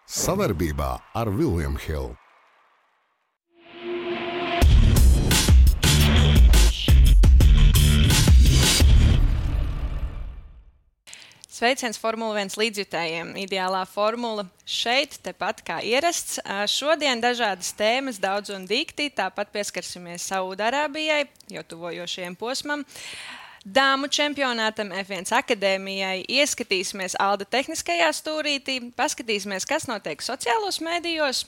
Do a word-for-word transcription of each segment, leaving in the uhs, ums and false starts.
Savarbībā ar William Hill. Sveiciens Formula viens līdzjutējiem. Ideālā formula šeit, tepat kā ierasts. Šodien dažādas tēmas, daudz un dikti, tāpat pieskarsimies Saudarābijai, jau tuvojošajam posmam. Dāmu čempionātam, F viens akadēmijai, ieskatīsimies Alda tehniskajā stūrītī, paskatīsimies, kas notiek sociālos mēdījos.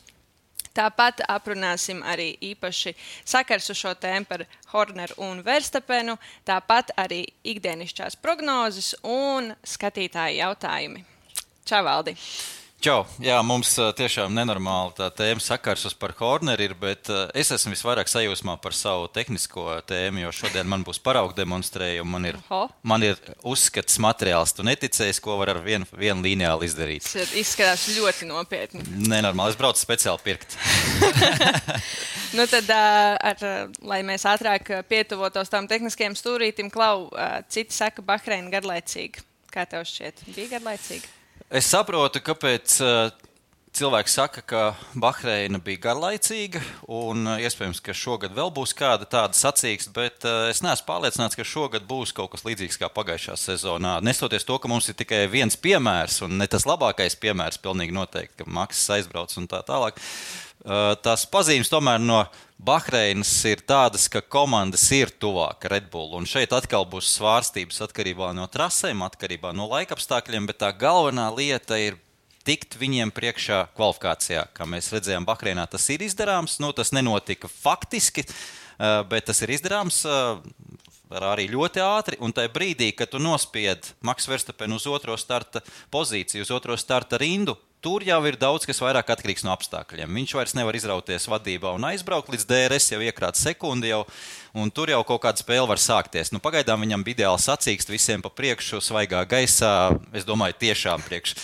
Tāpat aprunāsim arī īpaši sakars uz šo tēmu par Horneru un Verstapenu, tāpat arī ikdienišķās prognozes un skatītāju jautājumi. Čau, Valdi! Čau! Jā, mums tiešām nenormāli tā tēma sakars uz par Horneru ir, bet es esmu visvairāk sajūsmā par savu tehnisko tēmu, jo šodien man būs paraugu demonstrējumi, man ir, man ir uzskats materiāls. Tu neticēsi, ko var ar vienu, vienu lineāli izdarīt. Tas izskatās ļoti nopietni. Nenormāli, es braucu speciāli pirkt. Nu tad, ar, lai mēs ātrāk pietuvotos tām tehniskajiem stūrītim, Klau, citi saka Bahreina garlaicīga. Kā tev šķiet? Bija garlaicīga? Es saprotu, kāpēc uh, cilvēki saka, ka Bahreina bija garlaicīga, un uh, iespējams, ka šogad vēl būs kāda tāda sacīksta, bet uh, es neesmu pārliecināts, ka šogad būs kaut kas līdzīgs kā pagājušā sezonā. Nestoties to, ka mums ir tikai viens piemērs, un ne tas labākais piemērs, pilnīgi noteikti, ka Maks aizbrauc un tā tālāk. Uh, tās pazīmes tomēr no Bahreinas ir tādas, ka komandas ir tuvāk Red Bull, un šeit atkal būs svārstības atkarībā no trasēm, atkarībā no laikapstākļiem, bet tā galvenā lieta ir tikt viņiem priekšā kvalifikācijā. Kā mēs redzējām Bahreinā, tas ir izdarāms, nu tas nenotika faktiski, uh, bet tas ir izdarāms uh, arī ļoti ātri, un tajā brīdī, kad tu nospied Maks Verstapenu uz otro starta pozīciju, uz otro starta rindu, tur jau ir daudz, kas vairāk atkarīgs no apstākļiem. Viņš vairs nevar izrauties vadībā un aizbraukt līdz D R S, jau iekrāt sekundi jau, un tur jau kaut kāda spēle var sākties. Nu, pagaidām viņam bija ideāli sacīkst visiem pa priekšu, svaigā gaisā. Es domāju, tiešām priekš,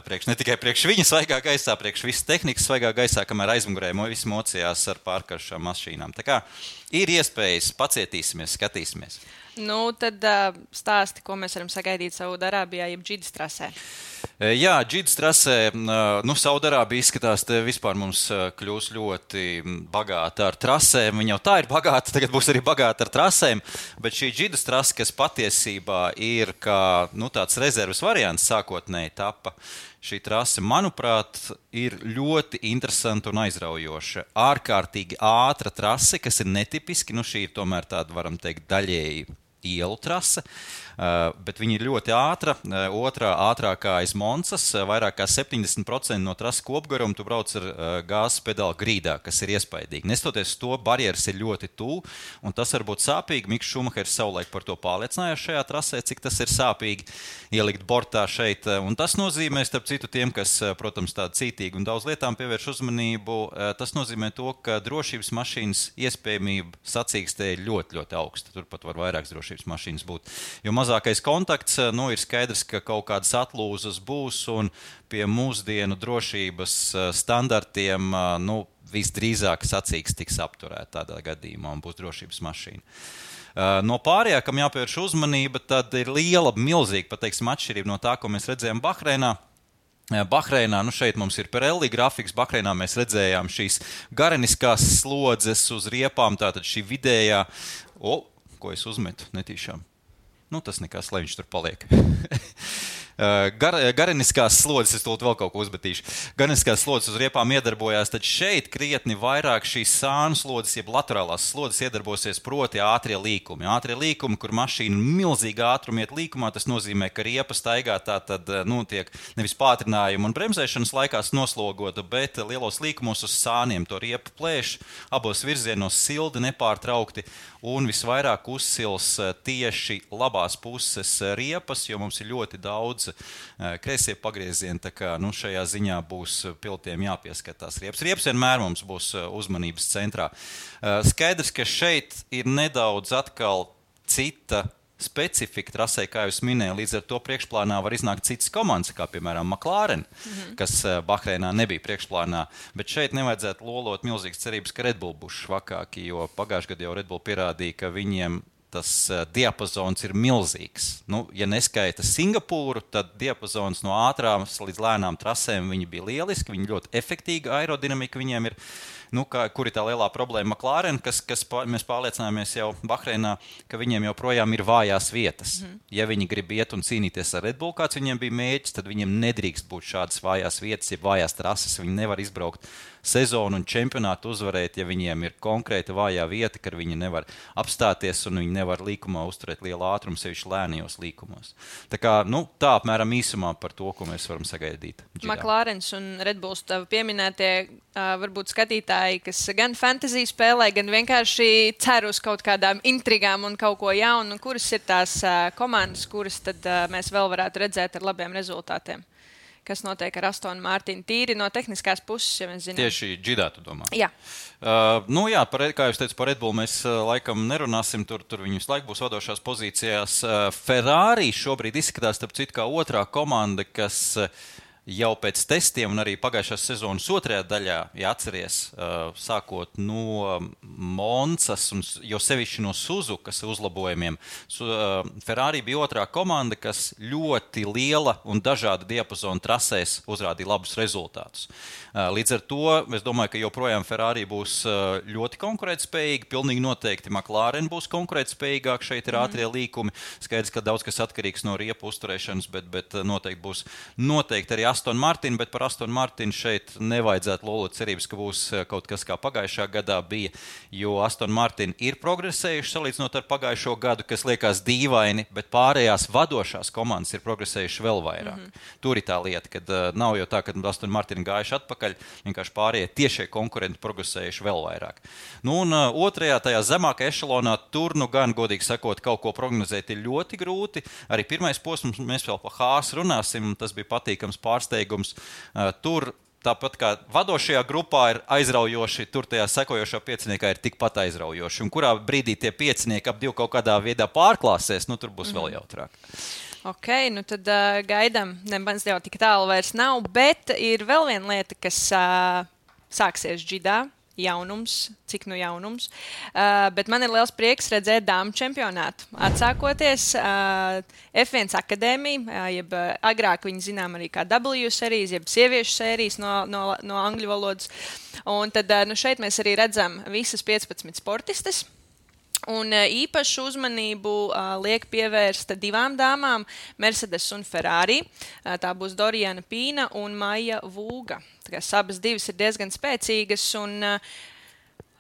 priekš ne tikai priekš viņa svaigā gaisā, priekš visas tehnikas svaigā gaisā, kamēr aizmugurē visi mocījās ar pārkaršām mašīnām. Tā kā ir iespējas, pacietīsimies, skatīsimies. Nu, tad uh, stāsti, ko mēs varam sagaidīt Saudarābijā, jeb Džidas trasē. Jā, Džidas trasē, nu, Saudarābija izskatās, te vispār mums kļūs ļoti bagāta ar trasēm. Viņa jau tā ir bagāta, tagad būs arī bagāta ar trasēm, bet šī Džidas trasa, kas patiesībā ir kā nu, tāds rezerves variants sākotnēji tapa, šī trasa, manuprāt, ir ļoti interesanta un aizraujoša. Ārkārtīgi ātra trase, kas ir netipiski, nu šī ir tomēr tāda, varam teikt, daļēji ielu trase, uh, bet viņa ir ļoti ātra. Uh, otrā ātrākā aiz Monsas, uh, vairāk kā septiņdesmit procenti no trases kopgaruma tu brauc ar uh, gāzes pedālu grīdā, kas ir iespaidīgi. Nestoties to, barjeras ir ļoti tuvu, un tas var būt sāpīgi. Miks Šumahers savulaik par to pārliecinājās šajā trasē, cik tas ir sāpīgi ielikt bortā šeit. Uh, un tas nozīmē, starp citu tiem, kas, uh, protams, tādi cītīgi un daudz lietām pievērš uzmanību, uh, tas nozīmē to, ka drošības mašīnas iespējamība sacīkstē ir ļoti, ļoti augsta. Turpat var vairākas drošības mašīnas būt. Jo mazākais kontakts, nu, ir skaidrs, ka kaut kādas atlūzas būs, un pie mūsdienu drošības standartiem, nu, visdrīzāk sacīksts tiks apturēt tādā gadījumā un būs drošības mašīna. No pārējā, kam jāpievērš uzmanība, tad ir liela, milzīga, pateiksim, atšķirība no tā, ko mēs redzējām Bahreinā. Bahreinā, nu šeit mums ir Pirelli grafiks, Bahreinā mēs redzējām šīs gareniskās slodzes uz riepām, tātad šī vidējā, o, ko es uzmetu netīšām. Nu, tas nekas, lai viņš tur paliek. Gar, gareniskās slodzes, es tūlīt vēl kaut ko uzmetīšu. Gareniskās slodzes uz riepām iedarbojās, tad šeit krietni vairāk šīs sānu slodzes, jeb laterālās slodzes iedarbosies proti ātrie līkumi. Ātrie līkumi, kur mašīna milzīgi ātrumi iet līkumā, tas nozīmē, ka riepa staigā tā tad, nu, tiek nevis pātrinājuma un bremzēšanas laikās noslogota, bet lielos līkumos uz sāniem to riepu plēš, abos virzienos sildi nepārtraukti un visvairāk uzsils tieši labās puses riepas, jo mums ir ļoti daudz kreisie pagriezieni, tā kā nu, šajā ziņā būs pilotiem jāpieskatās riepas. Riepas vienmēr mums būs uzmanības centrā. Skaidrs, ka šeit ir nedaudz atkal cita specifika trasē, kā jūs minēju, līdz ar to priekšplānā var iznākt citas komandas, kā piemēram McLaren, mm-hmm. kas Bahreinā nebija priekšplānā, bet šeit nevajadzētu lolot milzīgas cerības, ka Red Bull būs švakāki, jo pagājušajā gadā jau Red Bull pierādīja, ka viņiem tas diapazons ir milzīgs. Nu, ja neskaita Singapūru, tad diapazons no ātrām līdz lēnām trasēm viņi bija lieliski, viņi ļoti efektīga aerodinamika viņiem ir. Nu, kā, kur ir tā lielā problēma McLaren, kas, kas pā, mēs pārliecinājāmies jau Bahreinā, ka viņiem joprojām ir vājās vietas. Mm. Ja viņi grib iet un cīnīties ar Red Bull, kāds viņiem bija mēģis, tad viņiem nedrīkst būt šādas vājās vietas, ja vājās trases, viņi nevar izbraukt sezonu un čempionātu uzvarēt, ja viņiem ir konkrēta vājā vieta, ka viņi nevar apstāties un viņi nevar līkumā uzturēt lielu ātrumu, sevišķi lēnajos līkumos. Tā kā, nu, tā apmēram īsumā par to, ko mēs varam sagaidīt. Džidā. McLarens un Red Bulls tev pieminētie, uh, varbūt skatītāji, kas gan fantasy spēlē, gan vienkārši cer uz kaut kādām intrigām un kaut ko jaunu, kuras ir tās uh, komandas, kuras tad uh, mēs vēl varētu redzēt ar labiem rezultātiem. Kas notiek ar Astonu Martinu tīri no tehniskās puses, ja mēs zinām. Tieši Džidā, tu domā? Jā. Uh, nu jā, par, kā jūs teicu, par Red Bull mēs uh, laikam nerunāsim, tur, tur viņi visu laiku būs vadošās pozīcijās. Uh, Ferrari šobrīd izskatās, starp citu, kā otrā komanda, kas uh, jau pēc testiem un arī pagājušās sezonas otrajā daļā, ja atceries, uh, sākot no Monsas un jo sevišķi no Suzukas uzlabojumiem, Su, uh, Ferrari bija otrā komanda, kas ļoti liela un dažāda diapazona trasēs uzrādīja labus rezultātus. Uh, līdz ar to es domāju, ka joprojām Ferrari būs uh, ļoti konkurētspējīgi, pilnīgi noteikti McLaren būs konkurētspējīgāk, šeit ir ātrie līkumi, skaidrs, ka daudz kas atkarīgs no riepu uzturēšanas, bet, bet noteikti būs noteikti arī Aston Martin, bet par Aston Martin šeit nevajadzētu lolot cerības, ka būs kaut kas kā pagājušā gadā bija, jo Aston Martin ir progresējuši salīdzinot ar pagājušo gadu, kas liekas dīvaini, bet pārējās vadošās komandas ir progresējuši vēl vairāk. Mm-hmm. Tur ir tā lieta, kad uh, nav jau tā, ka Aston Martin gājuši atpakaļ, vienkārši pārējie tiešie konkurenti progresējuši vēl vairāk. Nu un uh, otrajā, tajā zemākajā ešalonā, tur nu gan, godīgi sakot, kaut ko prognozēt ir ļoti grūti. Arī pirmais posms, mēs vēl pa Haas runāsim, tas bija patīkams pārsteigums. Uh, tur tāpat kā vadošajā grupā ir aizraujoši, tur tajā sekojošā pieciniekā ir tikpat aizraujoši. Un kurā brīdī tie piecinieki ap divu kaut kādā veidā pārklāsies, nu tur būs mm. vēl jautrāk. Ok, nu tad uh, gaidām, nemaz jau tik tālu vairs nav, bet ir vēl viena lieta, kas uh, sāksies Džidā. Jaunums, cik nu jaunums. Uh, bet man ir liels prieks redzēt dāmu čempionātu. Atsākoties uh, F viens akadēmija, uh, jeb uh, agrāk viņi zinām arī kā W sērijas, jeb sieviešu sērijas no, no, no angļu valodas. Un tad uh, nu šeit mēs arī redzam visas piecpadsmit sportistes. Un īpašu uzmanību uh, liek pievērsta divām dāmām, Mercedes un Ferrari. Uh, tā būs Doriana Pīna un Maija Vūga. Tā kā abas divas ir diezgan spēcīgas un uh,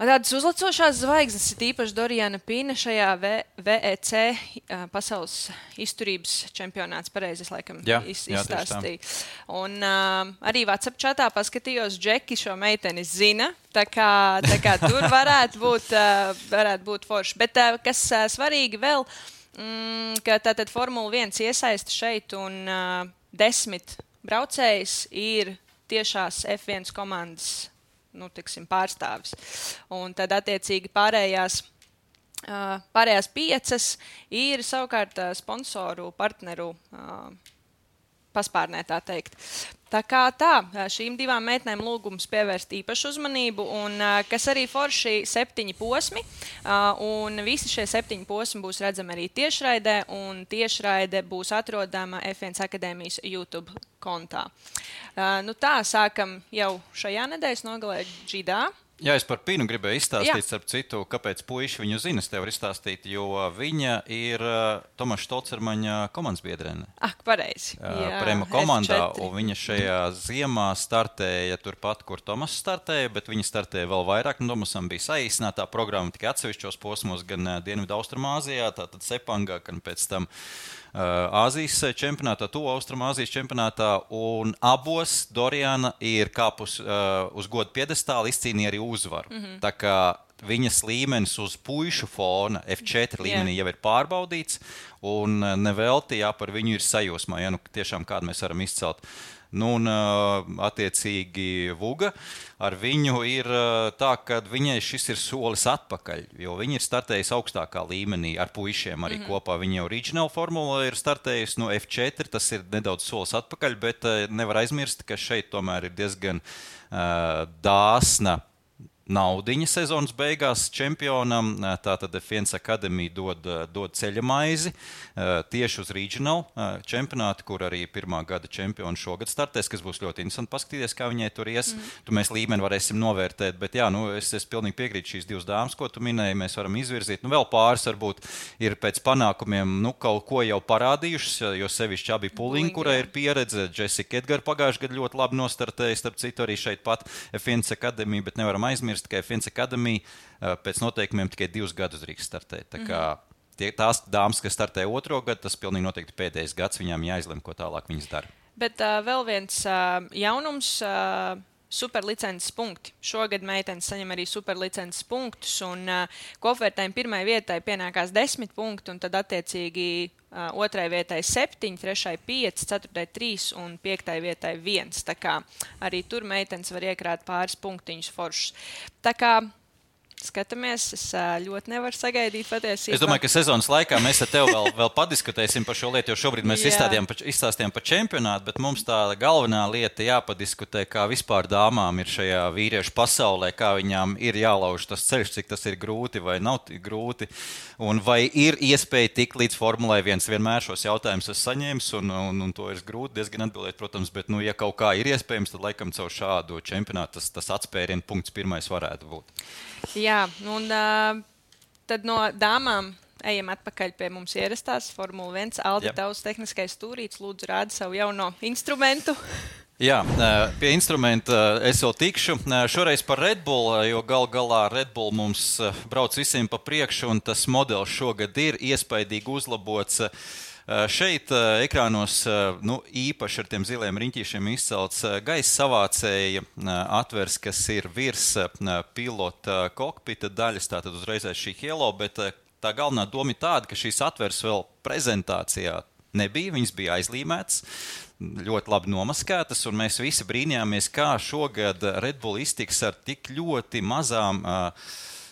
tādas uzlacošās zvaigznes, ir īpaši Doriana Pīna šajā V E C uh, pasaules izturības čempionāts, pareizi es laikam jā, iz, jā, izstāstīju. Un uh, arī WhatsApp čatā paskatījos, Džeki šo meiteni zina, tā kā, tā kā tur varētu būt, uh, varētu būt forši. Bet uh, kas uh, svarīgi vēl, mm, ka tātad Formula viens iesaista šeit un uh, desmit braucējs ir tiešās F viens komandas nu, tiksim, pārstāvis. Un tad attiecīgi pārējās, uh, pārējās piecas ir savukārt uh, sponsoru partneru uh, paspārnē, tā teikt. Tā kā tā, šīm divām meitnēm lūgums pievērst īpašu uzmanību, un kas arī forši septiņi posmi, un visi šie septiņi posmi būs redzami arī tiešraidē, un tiešraide būs atrodama F viens akadēmijas YouTube kontā. Nu tā, sākam jau šajā nedēļas nogalē Džidā. Jā, es par Pīnu gribēju izstāstīt, Jā. starp citu, kāpēc puiši viņu zina, es tev varu izstāstīt, jo viņa ir uh, Tomaša Stolcermaņa komandas biedrene. Ak, pareizi. Uh, Prema komandā, un viņa šajā ziemā startēja turpat, kur Tomas startēja, bet viņa startēja vēl vairāk. Nu, Tomasam bija saīsinātā programma tikai atsevišķos posmos, gan uh, Dienvidu Austrumāzijā, tātad Sepangā, gan pēc tam Āzijas čempionātā, to Austrumāzijas čempionātā, un abos Doriana ir kāpus uh, uz godu piedestālu, izcīnīja arī uzvaru. Mm-hmm. Tā kā viņas līmenis uz puišu fona F četri līmenī yeah. jau ir pārbaudīts, un nevelti, jā, par viņu ir sajūsmā, ja nu tiešām kādu mēs varam izcelt. Nu, un attiecīgi Vuga ar viņu ir tā, ka viņai šis ir solis atpakaļ, jo viņa ir startējusi augstākā līmenī ar puišiem arī mm-hmm. kopā. Viņa jau Regional formula ir startējusi no F četri, tas ir nedaudz solis atpakaļ, bet nevar aizmirst, ka šeit tomēr ir diezgan uh, dāsna naudiņa sezonas beigās čempionam. Tātad F viens Academy dod, dod ceļa maizi tieši uz regional čempionātu, kur arī pirmā gada čempioni šogad startēs, kas būs ļoti interesanti paskatīties, kā viņai tur ies. Mm. Tu mēs līmeni varēsim novērtēt, bet jā, nu, es, es pilnīgi piekrītu šīs divas dāmas, ko tu minēji, mēs varam izvirzīt. Nu, vēl pāris varbūt ir pēc panākumiem, nu, kaut ko jau parādījušas, jo sevišķi abi Puliņi, kurai ir pieredze, Jessica Edgar pagājuši gadu ļoti labi nostartēja, starp citu arī šeit pat F viens Academy, bet nevaram aizmirst, ka F viens Academy pēc noteikumiem tikai divus gadus drīkst startēt. Tā kā tie, tās dāmas, kas startē otro gadu, tas pilnīgi noteikti pēdējais gads, viņām jāizlem, ko tālāk viņas dara. Bet uh, vēl viens uh, jaunums, uh, superlicences punkti. Šogad meitenes saņem arī superlicences punktus, un uh, kopvērtējumi pirmai vietai pienākās desmit punkti, un tad attiecīgi uh, otrai vietai septiņi, trešai pieci, ceturtai trīs un piektai vietai viens. Tā kā arī tur meitenes var iekrāt pāris punktiņus foršus. Tā kā skatāmies, es ļoti nevaru sagaidīt patiesībā. Es domāju, ka sezonas laikā mēs ar tevi vēl, vēl padiskutēsim par šo lietu, jo šobrīd mēs izstādījām, izstāstījām par čempionātu, bet mums tā galvenā lieta jāpadiskutē, kā vispār dāmām ir šajā vīriešu pasaulē, kā viņām ir jālauž tas ceļš, cik tas ir grūti vai nav grūti, un vai ir iespēja tikt līdz Formulai viens. Vienmēr šos jautājumus es saņēmu, un, un, un to ir grūti diezgan atbildēt, protams, bet, nu, ja kaut kā ir iespējams, tad laikam caur šādu čempionātu tas, tas atspērienu punkts pirmais varētu būt. Jā, un uh, tad no dāmām ejam atpakaļ pie mums ierastās Formula viens. Aldi, tavs tehniskais stūrīts, lūdzu rādi savu jauno instrumentu. Jā, pie instrumenta es vēl tikšu. Šoreiz par Red Bull, jo gal galā Red Bull mums brauc visiem pa priekšu, un tas modelis šogad ir iespaidīgi uzlabots. Šeit ekrānos nu, īpaši ar tiem ziliem riņķīšiem izcelts gaisa savācēja atvers, kas ir virs pilota kokpita daļas, tātad uzreizēs šī Hielo, bet tā galvenā doma ir tāda, ka šīs atvers vēl prezentācijā nebija, viņas bija aizlīmētas, ļoti labi nomaskētas, un mēs visi brīnījāmies, kā šogad Red Bull iztiks ar tik ļoti mazām uh,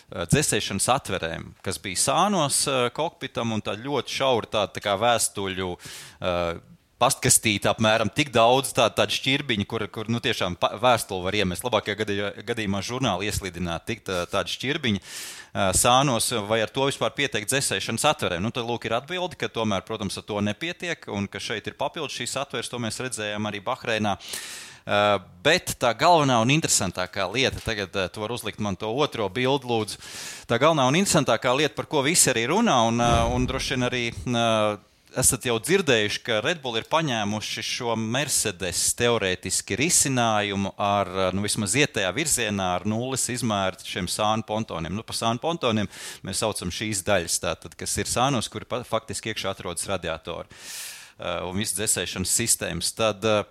dzēsēšanas atverēm, kas bija sānos uh, kokpitam, un tā ļoti šaura tāda tā kā vēstuļu uh, pastkastīta apmēram tik daudz tādu tā šķirbiņu, kur, kur nu, tiešām vēstuli var iemest. Labākajā gadījumā, gadījumā žurnāli ieslidināt tik tā, tādu šķirbiņu uh, sānos, vai ar to vispār pieteikt dzēsēšanas atverēm. Nu, tad lūk ir atbildi, ka tomēr, protams, ar to nepietiek, un ka šeit ir papildus šīs atveres, to mēs redzējām arī Bahreinā. Uh, bet tā galvenā un interesantākā lieta, tagad uh, tu var uzlikt man to otro bildu, lūdzu, tā galvenā un interesantākā lieta, par ko visi arī runā, un, uh, un droši vien arī uh, esat jau dzirdējuši, ka Red Bull ir paņēmuši šo Mercedes teorētiski risinājumu ar, nu, vismaz ietējā virzienā ar nulles izmēru šiem sānu pontoniem. Nu, pa sānu pontoniem mēs saucam šīs daļas, tātad, kas ir sānos, kuri faktiski iekšā atrodas radiatori uh, un viss dzēsēšanas sistēmas. Tad, uh,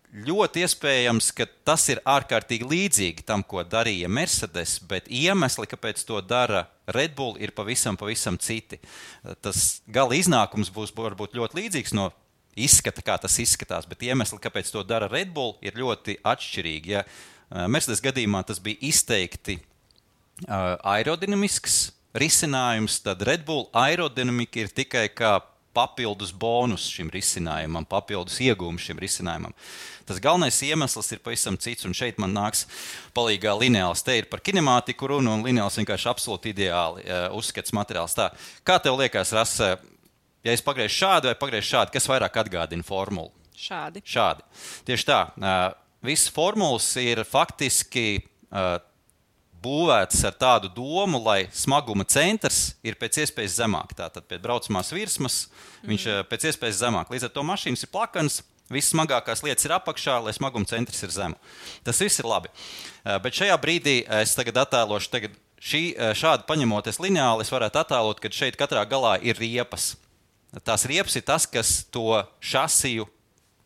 ļoti iespējams, ka tas ir ārkārtīgi līdzīgi tam, ko darīja Mercedes, bet iemesli, kāpēc to dara Red Bull, ir pavisam, pavisam citi. Tas gala iznākums būs varbūt ļoti līdzīgs no izskata, kā tas izskatās, bet iemesli, kāpēc to dara Red Bull, ir ļoti atšķirīgi. Ja Mercedes gadījumā tas bija izteikti uh, aerodinamisks risinājums, tad Red Bull aerodinamika ir tikai kā papildus bonus šim risinājumam, papildus iegūmus šim risinājumam. Tas galvenais iemesls ir pavisam cits, un šeit man nāks palīgā lineāls. Te ir par kinemātiku runa, un lineāls vienkārši absolūti ideāli uh, uzskats materiāls. Tā, kā tev liekas, Rasa, ja es pagriežu šādi vai pagriežu šādi, kas vairāk atgādina formulu? Šādi. Šādi. Tieši tā. Uh, visas formulas ir faktiski uh, būvēts ar tādu domu, lai smaguma centrs ir pēc iespējas zemāk. Tātad pie braucamās virsmas mm. viņš pēc iespējas zemāk. Līdz ar to mašīnas ir plakanas, visas smagākās lietas ir apakšā, lai smaguma centrs ir zemu. Tas viss ir labi. Bet šajā brīdī es tagad attēlošu, tagad šī, šādi paņemoties lineāli, es varētu attēlot, ka šeit katrā galā ir riepas. Tās riepas ir tas, kas to šasiju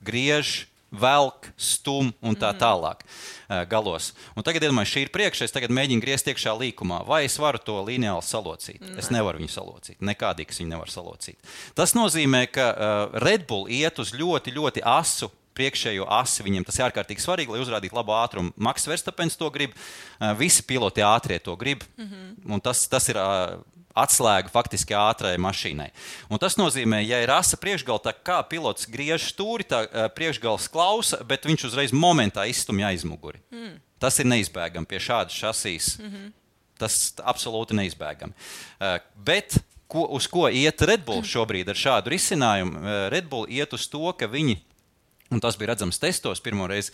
griež, velk, stum un tā tālāk uh, galos. Un tagad, iedomāju, šī ir priekšā, es tagad mēģinu griezt iekšā līkumā. Vai es varu to lineāli salocīt? Ne. Es nevaru viņu salocīt. Nekādīgs viņu nevar salocīt. Tas nozīmē, ka uh, Red Bull iet uz ļoti, ļoti asu priekšējo asi. Viņiem tas ir ārkārtīgi svarīgi, lai uzrādītu labu ātrumu. Max Verstappens to grib, uh, visi piloti ātrie to grib. Mm-hmm. Un tas, tas ir uh, atslēgu faktiski ātrai mašīnai. Un tas nozīmē, ja ir asa priekšgala, tā kā pilots griež stūri, tā priekšgals klausa, bet viņš uzreiz momentā izstumj aizmuguri. Mm. Tas ir neizbēgami pie šādas šasīs. Mm-hmm. Tas absolūti neizbēgami. Bet ko, uz ko iet Red Bull šobrīd ar šādu risinājumu? Red Bull iet uz to, ka viņi, un tas bija redzams testos pirmoreiz,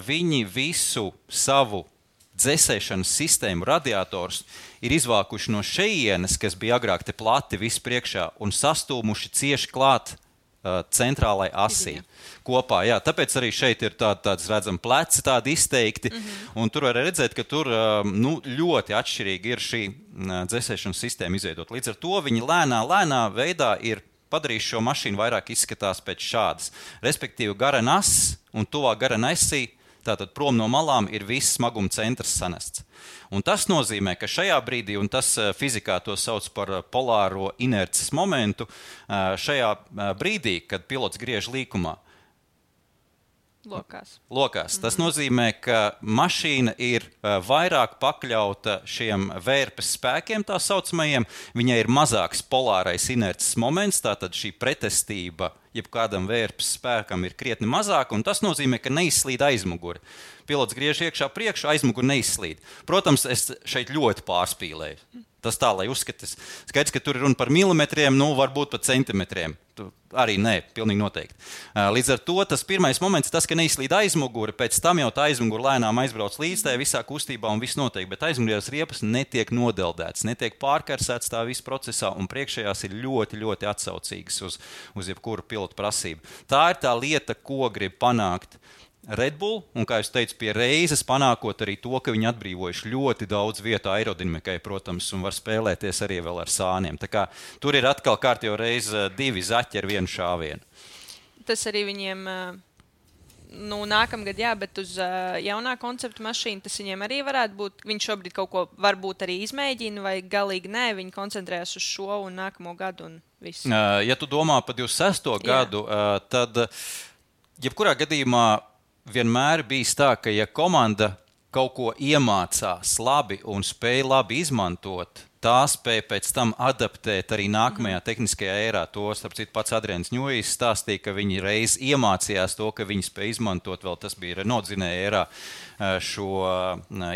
viņi visu savu dzēsēšanas sistēmu, radiators ir izvākuši no šejienes, kas bija agrāk te plati viss priekšā, un sastūmuši cieši klāt uh, centrālai asī kopā. Jā, tāpēc arī šeit ir tād, tāds, redzam, pleci tādi izteikti, mm-hmm. un tur var redzēt, ka tur uh, nu, ļoti atšķirīgi ir šī uh, dzēsēšanas sistēma izveidot. Līdz ar to viņi lēnā, lēnā veidā ir padarījuši šo mašīnu vairāk izskatās pēc šādas. Respektīvi, gara nas un tuvā gara nesī, tātad prom no malām ir viss smaguma centrs sanests. Un tas nozīmē, ka šajā brīdī, un tas fizikā to sauc par polāro inerces momentu, šajā brīdī, kad pilots griež līkumā, Lokās. Lokās. Tas nozīmē, ka mašīna ir vairāk pakļauta šiem vērpes spēkiem, tā saucamajiem. Viņai ir mazāks polārais inerces moments, tātad šī pretestība jebkādam vērpes spēkam ir krietni mazāka, un tas nozīmē, ka neizslīd aizmuguri. Pilots griež iekšā priekšu, aizmuguri neizslīd. Protams, es šeit ļoti pārspīlēju. Tas tā, lai uzskatas. Skaidrs, ka tur ir runa par milimetriem, nu varbūt pat centimetriem. Tu, arī nē, pilnīgi noteikti. Līdz ar to tas pirmais moments, tas, ka neizslīd aizmuguri, pēc tam jau tā aizmuguri lēnām aizbrauc līdz tajā visā kustībā un viss notiek, bet aizmugurējās riepas netiek nodeldētas, netiek pārkarsētas tā viss procesā, un priekšējās ir ļoti, ļoti atsaucīgas uz, uz jebkuru pilotu prasību. Tā ir tā lieta, ko grib panākt Red Bull, un, kā es teicu, pie reizes panākot arī to, ka viņi atbrīvojuši ļoti daudz vietu aerodinamikai, protams, un var spēlēties arī vēl ar sāniem. Tā kā tur ir atkal kārtējo reizi divi zaķi ar vienu šāvienu. Tas arī viņiem, nu, nākamgad, jā, bet uz jaunā konceptu mašīnu tas viņiem arī varētu būt. Viņi šobrīd kaut ko varbūt arī izmēģina, vai galīgi nē, viņi koncentrējas uz šo un nākamo gadu un visu. Ja tu domā par divdesmit sesto gadu, tad jebkurā gadījumā vienmēr bijis tā, ka ja komanda kaut ko iemācās labi un spēja labi izmantot, tā spēja pēc tam adaptēt arī nākamajā mm. tehniskajā ērā. To, starp citu, pats Adrians Ņujis stāstīja, ka viņi reiz iemācījās to, ka viņi spēja izmantot, vēl tas bija Renault dzinēja ērā, šo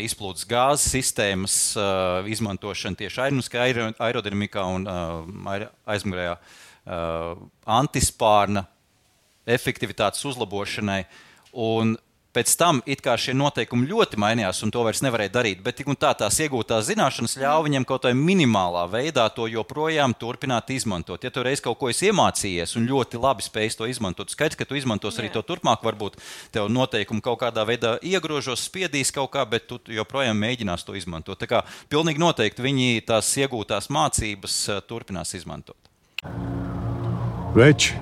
izplūdes gāzes sistēmas izmantošanu tieši aerodinamikā un aizmugurējā antispārna efektivitātes uzlabošanai. Un pēc tam it kā šie noteikumi ļoti mainījās, un to vairs nevarēja darīt, bet tik un tā tās iegūtās zināšanas ļauj viņam kaut kādā minimālā veidā to joprojām turpināt izmantot. Ja tu reiz kaut ko esi iemācījies un ļoti labi spēj to izmantot, skaidrs, ka tu izmantos arī to turpmāk, varbūt tev noteikumi kaut kādā veidā iegrožos, spiedīs kaut kā, bet tu joprojām mēģinās to izmantot. Tā kā pilnīgi noteikti viņi tās iegūtās mācības turpinās izmantot. Veči,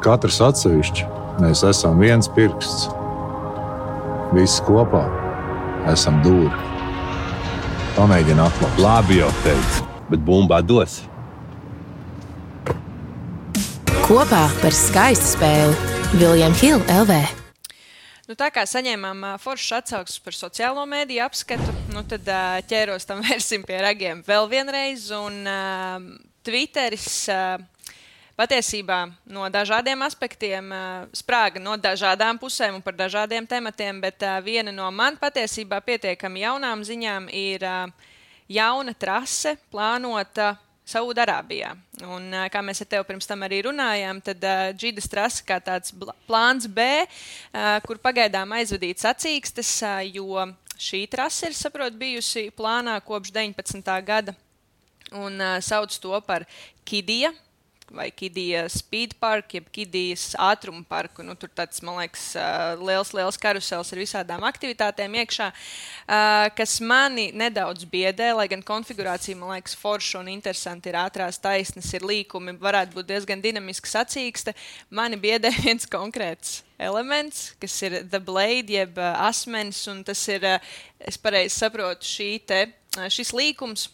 katrs atsevišķi. Mēs esam viens pirksts. Visi kopā esam dūri. Pamēģini atklāt. Labi jau teicu, bet bumbā dos. Kopā par skaistu spēli William Hill L V. Nu, tā kā saņēmām uh, foršas atsauksmes par sociālo mēdīju apskatu, nu, tad uh, ķēros tam vērsim pie ragiem vēl vienreiz. Un uh, Twitteris... Uh, Patiesībā no dažādiem aspektiem sprāga no dažādām pusēm un par dažādiem tematiem, bet viena no man patiesībā pietiekami jaunām ziņām ir jauna trase plānota Saudarābijā. Un, kā mēs ar tevi pirms tam arī runājām, tad Džidas trase kā tāds plāns B, kur pagaidām aizvadīts sacīkstes, jo šī trase ir, saprot, bijusi plānā kopš deviņpadsmitā gada un sauc to par Kidija vai Kidija Speed Park, jeb Kidijas ātruma parku. Nu, tur tāds, man liekas, liels, liels karusels ar visādām aktivitātēm iekšā, kas mani nedaudz biedē, lai gan konfigurācija, man liekas, forša un interesanti ir ātrās taisnes, ir līkumi, varētu būt diezgan dinamiska sacīkste. Mani biedē viens konkrēts elements, kas ir The Blade, jeb asmenis, un tas ir, es pareizi saprotu, šī te, šis līkums,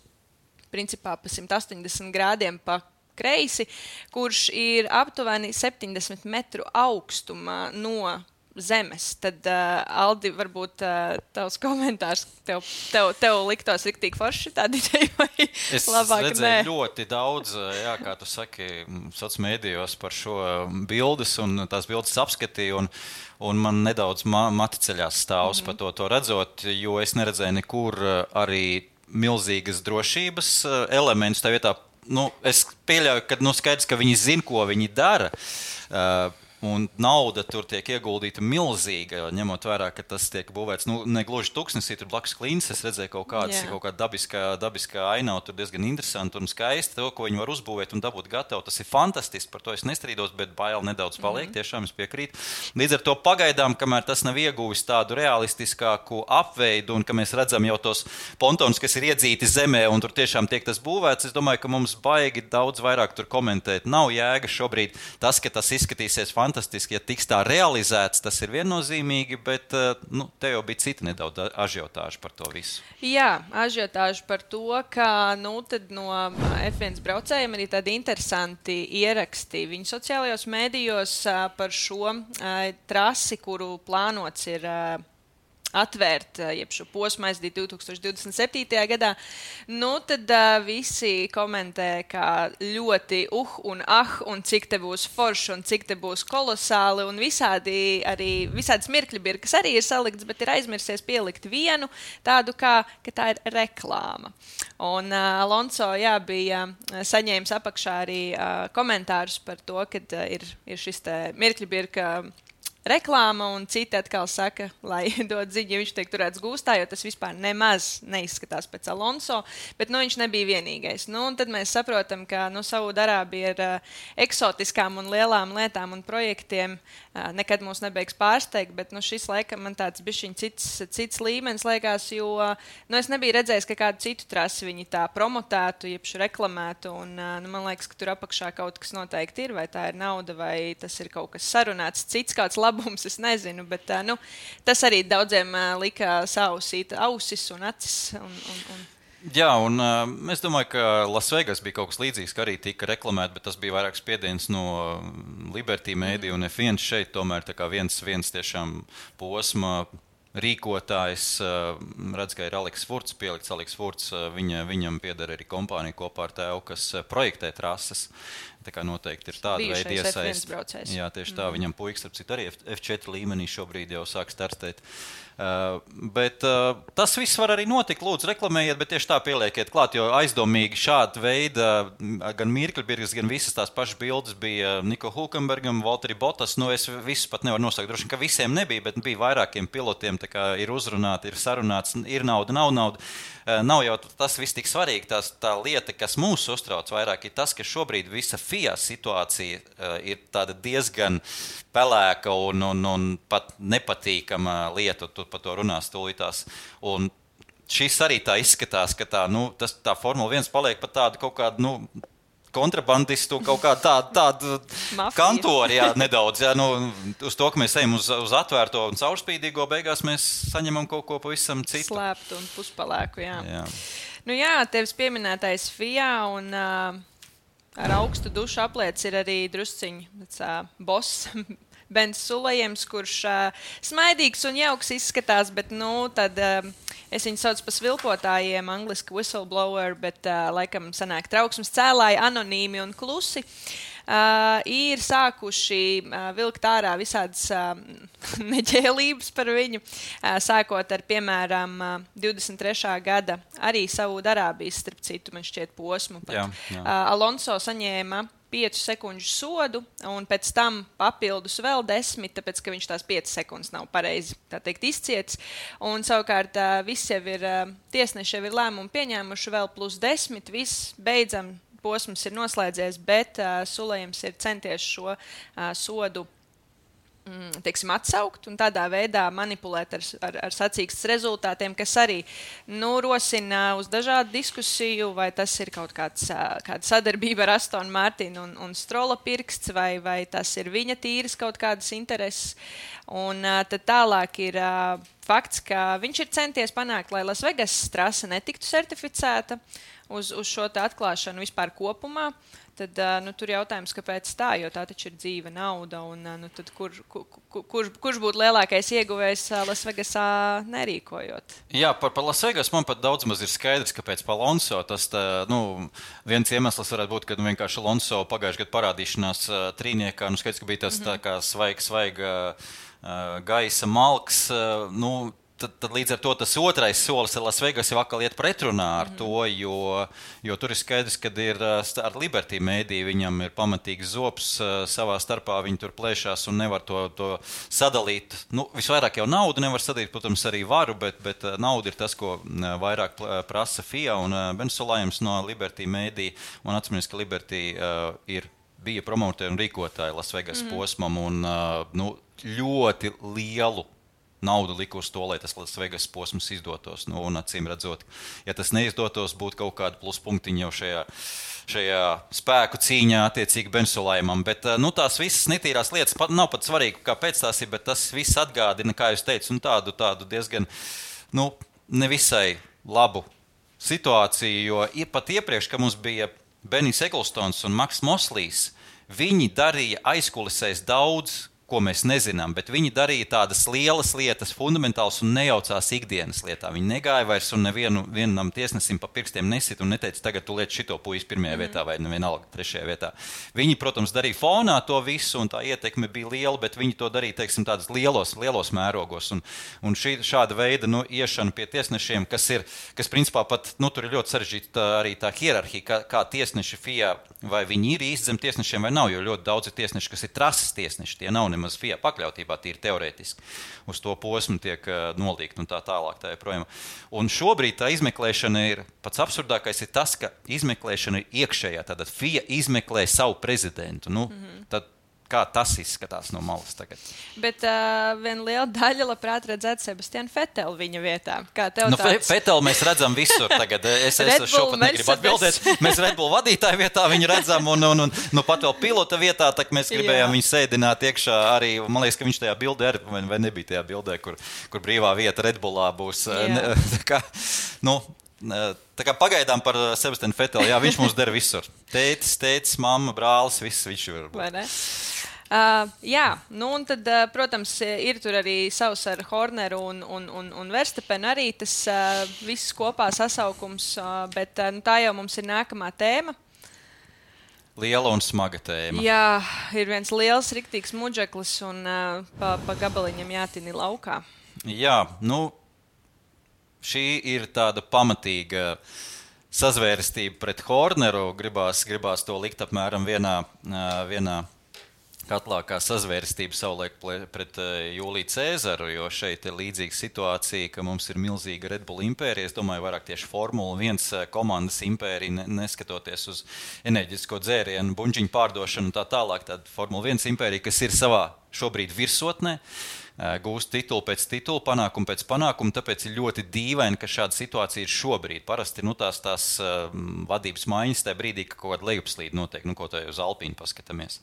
principā pa simt astoņdesmit grādiem pa kreisi, kurš ir aptuveni septiņdesmit metru augstumā no zemes. Tad, uh, Aldi, varbūt uh, tavs komentārs tev, tev, tev liktos riktīgi forši tādi ideja vai es labāk? Es redzēju ļoti daudz, jā, kā tu saki, soc mēdījos par šo bildes un tās bildes apskatīju un, un man nedaudz ma- mati ceļās stāvs mm-hmm. par to, to redzot, jo es neredzēju nekur arī milzīgas drošības elementus tā vietā. Nu, es pieļauju, ka nu, skaidrs, ka viņi zina, ko viņi dara. Uh, Un nauda tur tiek ieguldīta milzīga, ņemot vērā, ka tas tiek būvēts, nu, ne gluži tuksnesī, tur blakus klīnas, es redzēju kaut kādas, yeah. kaut kāda dabiskā, dabiskā ainava, tur diezgan interesanti un skaisti, to, ko viņi var uzbūvēt un dabūt gatavu, tas ir fantastiski, par to es nestrīdos, bet bail nedaudz paliek, mm-hmm. tiešām es piekrītu. Līdz ar to pagaidām, kamēr tas nav ieguvis tādu realistiskāku apveidu un ka mēs redzam jau tos pontonus, kas ir iedzīti zemē un tur tiešām tiek tas būvēts, es domāju, ka mums baigi daudz vairāk tur komentēt. Nav jēga šobrīd tas, ka tas izskatīsies fantastiski. Fantastiski, ja tiks tā realizēts, tas ir viennozīmīgi, bet nu, te jau bija cita nedaudz ažiotāža par to visu. Jā, ažiotāža par to, ka nu, tad no F viens braucējiem arī tādi interesanti ieraksti viņu sociālajos mēdījos par šo trasi, kuru plānots ir atvērt, jeb šo posmu aizdīt divtūkstoš divdesmit septītajā gadā, nu tad uh, visi komentē, kā ļoti uh un ah, un cik te būs forši, un cik te būs kolosāli, un visādi arī, visādi smirkļi bir, kas arī ir salikts, bet ir aizmirsies pielikt vienu tādu, kā, ka tā ir reklāma. Un uh, Alonso, jā, bija saņēmis apakšā arī uh, komentārus par to, ka uh, ir, ir šis te mirkļi bir, ka reklāma, un citi atkal saka, lai dod ziņu, ja viņš tiek turēts gūstā, jo tas vispār nemaz neizskatās pēc Alonso, bet nu, viņš nebija vienīgais. Nu, un tad mēs saprotam, ka nu, Saūdarābija ir uh, eksotiskām un lielām lietām un projektiem uh, nekad mūs nebeigs pārsteigt, bet nu, šis laikam man tāds bišķiņ cits, cits līmenis liekas, jo uh, nu, es nebiju redzējis, ka kādu citu trasi viņi tā promotētu, jebšu reklamētu, un uh, nu, man liekas, ka tur apakšā kaut kas noteikti ir, vai tā ir nauda, vai tas ir kaut kas sarunāts, cits kāds labs. Bums, es nezinu, bet nu, tas arī daudziem uh, lika sausīt ausis un acis. Un, un, un. Jā, un uh, es domāju, ka Lasvegas bija kaut kas līdzīgs, ka arī tika reklamēt, bet tas bija vairāk spiediens no Liberty Media un F viens šeit tomēr tā kā viens, viens tiešām posma rīkotājs, uh, redz, ka ir Aleks Furts, pielikts Aleks Furts, uh, viņa, viņam pieder arī kompānija kopā ar tēvu, kas uh, projektē trases. Tā kā noteikti ir tāda veida iesaist. Jā, tieši tā, mm. viņam puikas, starp citu, arī F četri līmenī šobrīd jau sāk startēt. Uh, bet uh, tas viss var arī notikt, lūdzu, reklamējiet, bet tieši tā pielieciet klāt, jo aizdomīgi šāda veida gan Mirkļbirgas, gan visas tās pašas bildes bija Niko Hulkenbergam, Valtteri Bottas, nu es visus pat nevaru nosaukt, droši, ka visiem nebija, bet bija vairākiem pilotiem, tā kā ir uzrunāti, ir sarunāts, ir nauda, nav nauda. Uh, nav jau tas viss tik svarīgi, tās, tā lieta, kas mūs uztrauc vairāk, ir tas, ka šobrīd visa F I A situācija uh, ir tāda diezgan pelēka un, un, un pat nepatīkama lieta, tu par to runās tūlītās. Un šis arī tā izskatās, ka tā, nu, tas, tā Formula viens paliek pat tādu kaut kādu, nu, kontrabandistu, kaut kādu tādu, tādu kantori, jā, nedaudz, jā, nu, uz to, ka mēs ejam uz, uz atvērto un caurspīdīgo, beigās mēs saņemam kaut ko pavisam citu. Slēptu un puspalēku, jā. jā. Nu jā, tevis pieminētais F I A un uh, ar augstu dušu apliec ir arī drusciņi, tāds uh, boss, Bens Sulejams, kurš uh, smaidīgs un jauks izskatās, bet, nu, tad uh, es viņu saucu pa svilpotājiem, angliski whistleblower, bet, uh, laikam, sanāk trauksmes cēlāji, anonīmi un klusi, uh, ir sākuši uh, vilkt ārā visādas uh, neģēlības par viņu, uh, sākot ar, piemēram, uh, divdesmit trešā gada arī Saūdarābijas, starp citu, man šķiet posmu. Pat. Jā, jā. Uh, Alonso saņēma piecu sekundžu sodu, un pēc tam papildus vēl desmit, tāpēc, ka viņš tās piecas sekundes nav pareizi, tā teikt, izcietis. Un savukārt viss jau ir, tiesneši jau ir lēmumu pieņēmuši vēl plus desmit, viss beidzam, posms ir noslēdzies, bet uh, Sulejams ir centies šo uh, sodu teiksim, atsaukt un tādā veidā manipulēt ar, ar, ar sacīkstes rezultātiem, kas arī nu, rosina uz dažādu diskusiju, vai tas ir kaut kāds, kāda sadarbība ar Astonu Martinu un, un Strola pirksts, vai, vai tas ir viņa tīras kaut kādas intereses. Un tad tālāk ir fakts, ka viņš ir centies panākt, lai Las Vegas trase netiktu certificēta uz, uz šo tā atklāšanu vispār kopumā. Tad nu, tur jautājums, kāpēc tā, jo tā taču ir dzīva nauda, un nu, tad kur, kur, kur, kurš būtu lielākais ieguvējs Las Vegasā nerīkojot? Jā, par, par Las Vegas man pat daudz maz ir skaidrs, kāpēc pa Alonso. Tas, tā, nu, viens iemesls varētu būt, kad vienkārši Alonso pagājušajā gadā parādīšanās uh, trīniekā, nu skaidrs, ka bija tas mm-hmm. tā kā svaig, svaiga uh, gaisa malks, uh, nu, Tad, tad līdz ar to tas otrais solis ar Las Vegas jau atkal iet pretrunā ar to, jo, jo tur ir skaidrs, ka ir ar Liberty mēdī viņam ir pamatīgs zops savā starpā, viņi tur plēšās un nevar to, to sadalīt. Nu, visvairāk jau naudu nevar sadalīt, protams, arī varu, bet, bet nauda ir tas, ko vairāk prasa F I A un Ben Sulayem no Liberty mēdī. Un atcīmēs, ka Liberty uh, ir, bija promotēri un rīkotāji Las Vegas mm. posmam un uh, nu, ļoti lielu naudu liku uz to, lai tas Las Vegas posms izdotos. Nu, un acīm redzot, ja tas neizdotos, būtu kaut kāda pluspunktiņa jau šajā, šajā spēku cīņā attiecīgi Ben Sulayemam. Bet nu, tās visas netīrās lietas pat, nav pat svarīgi, kāpēc tās ir, bet tas viss atgādina, kā jūs teicu, nu, tādu, tādu diezgan nu, nevisai labu situāciju, jo pat iepriekš, ka mums bija Benijs Eklstons un Maks Moslijs, viņi darīja aizkulisēs daudz, ko mēs nezinām, bet viņi darīja tādas lielas lietas, fundamentāls un nejaucās ikdienas lietā. Viņi negāja vairs un nevienu vienam tiesnesim pa pirkstiem nesit un neteica, tagad tu liec šito puisi pirmajā mm. vietā vai nevienalga trešajā vietā. Viņi, protams, darīja fonā to visu un tā ietekme bija liela, bet viņi to darīja, teiksim, tādas lielos, lielos mērogos. Un, un šī, šāda veida nu, iešana pie tiesnešiem, kas ir, kas principā pat, nu, tur ir ļoti sarežģīta arī tā hierarhija, kā, kā tiesneši F I A, vai viņi ir īsti zem tiesnešiem vai nav, jo ļoti daudz ir tiesneši, kas ir trases tiesneši, tie nav nemaz F I A pakļautībā, tīri teorētiski. Uz to posmu tiek uh, nolīgt un tā tālāk. Tā joprojām. Un šobrīd tā izmeklēšana ir, pats absurdākais ir tas, ka izmeklēšana ir iekšējā. Tātad F I A izmeklē savu prezidentu. Nu, mm-hmm. tad, kā tas izskatās no malas tagad? Bet uh, viena liela daļa labprāt redzētu Sebastianu Feteli viņa vietā. Kā tev nu, tāds? Feteli mēs redzam visur tagad. Es, es šo pat negribu atbildēt. Mēs Red Bull vadītāju vietā viņu redzam un, un, un nu, pat vēl pilota vietā, tak mēs gribējām Jā. Viņu sēdināt iekšā arī. Man liekas, ka viņš tajā bildē arī, vai, vai nebija tajā bildē, kur, kur brīvā vieta Red Bullā būs. Ne, tā kā, nu, tā kā pagaidām par Sebastianu Feteli, jā, viņš mums dara visur. Tētis, tētis, mamma, brālis, viss viņš var būt. Vai ne? Uh, jā, nu un tad, uh, protams, ir tur arī savs ar Horneru un, un, un, un Verstapenu arī tas uh, viss kopā sasaukums, uh, bet uh, nu, tā jau mums ir nākamā tēma. Liela un smaga tēma. Jā, ir viens liels, riktīgs muģeklis un uh, pa, pa gabaliņam jātini laukā. Jā, nu, šī ir tāda pamatīga sazvērestība pret Horneru. Gribās, gribās to likt apmēram vienā, uh, vienā katlā kā sazvērestība savulaik pret Jūliju Cēzaru, jo šeit ir līdzīga situācija, ka mums ir milzīga Red Bull impērija. Es domāju, vairāk tieši Formula viens komandas impērija, neskatoties uz enerģisko dzērienu, buņģiņu pārdošanu un tā tālāk. Tad Formula viens impērija, kas ir savā šobrīd virsotnē, gūst titulu pēc titulu, panākumu pēc panākumu, tāpēc ir ļoti dīvaini, ka šāda situācija ir šobrīd. Parasti nu, tās, tās vadības maiņas tajā brīdī, ka kaut kāda lejupslīde notiek, nu, ko tā uz Alpīnu paskatāmies.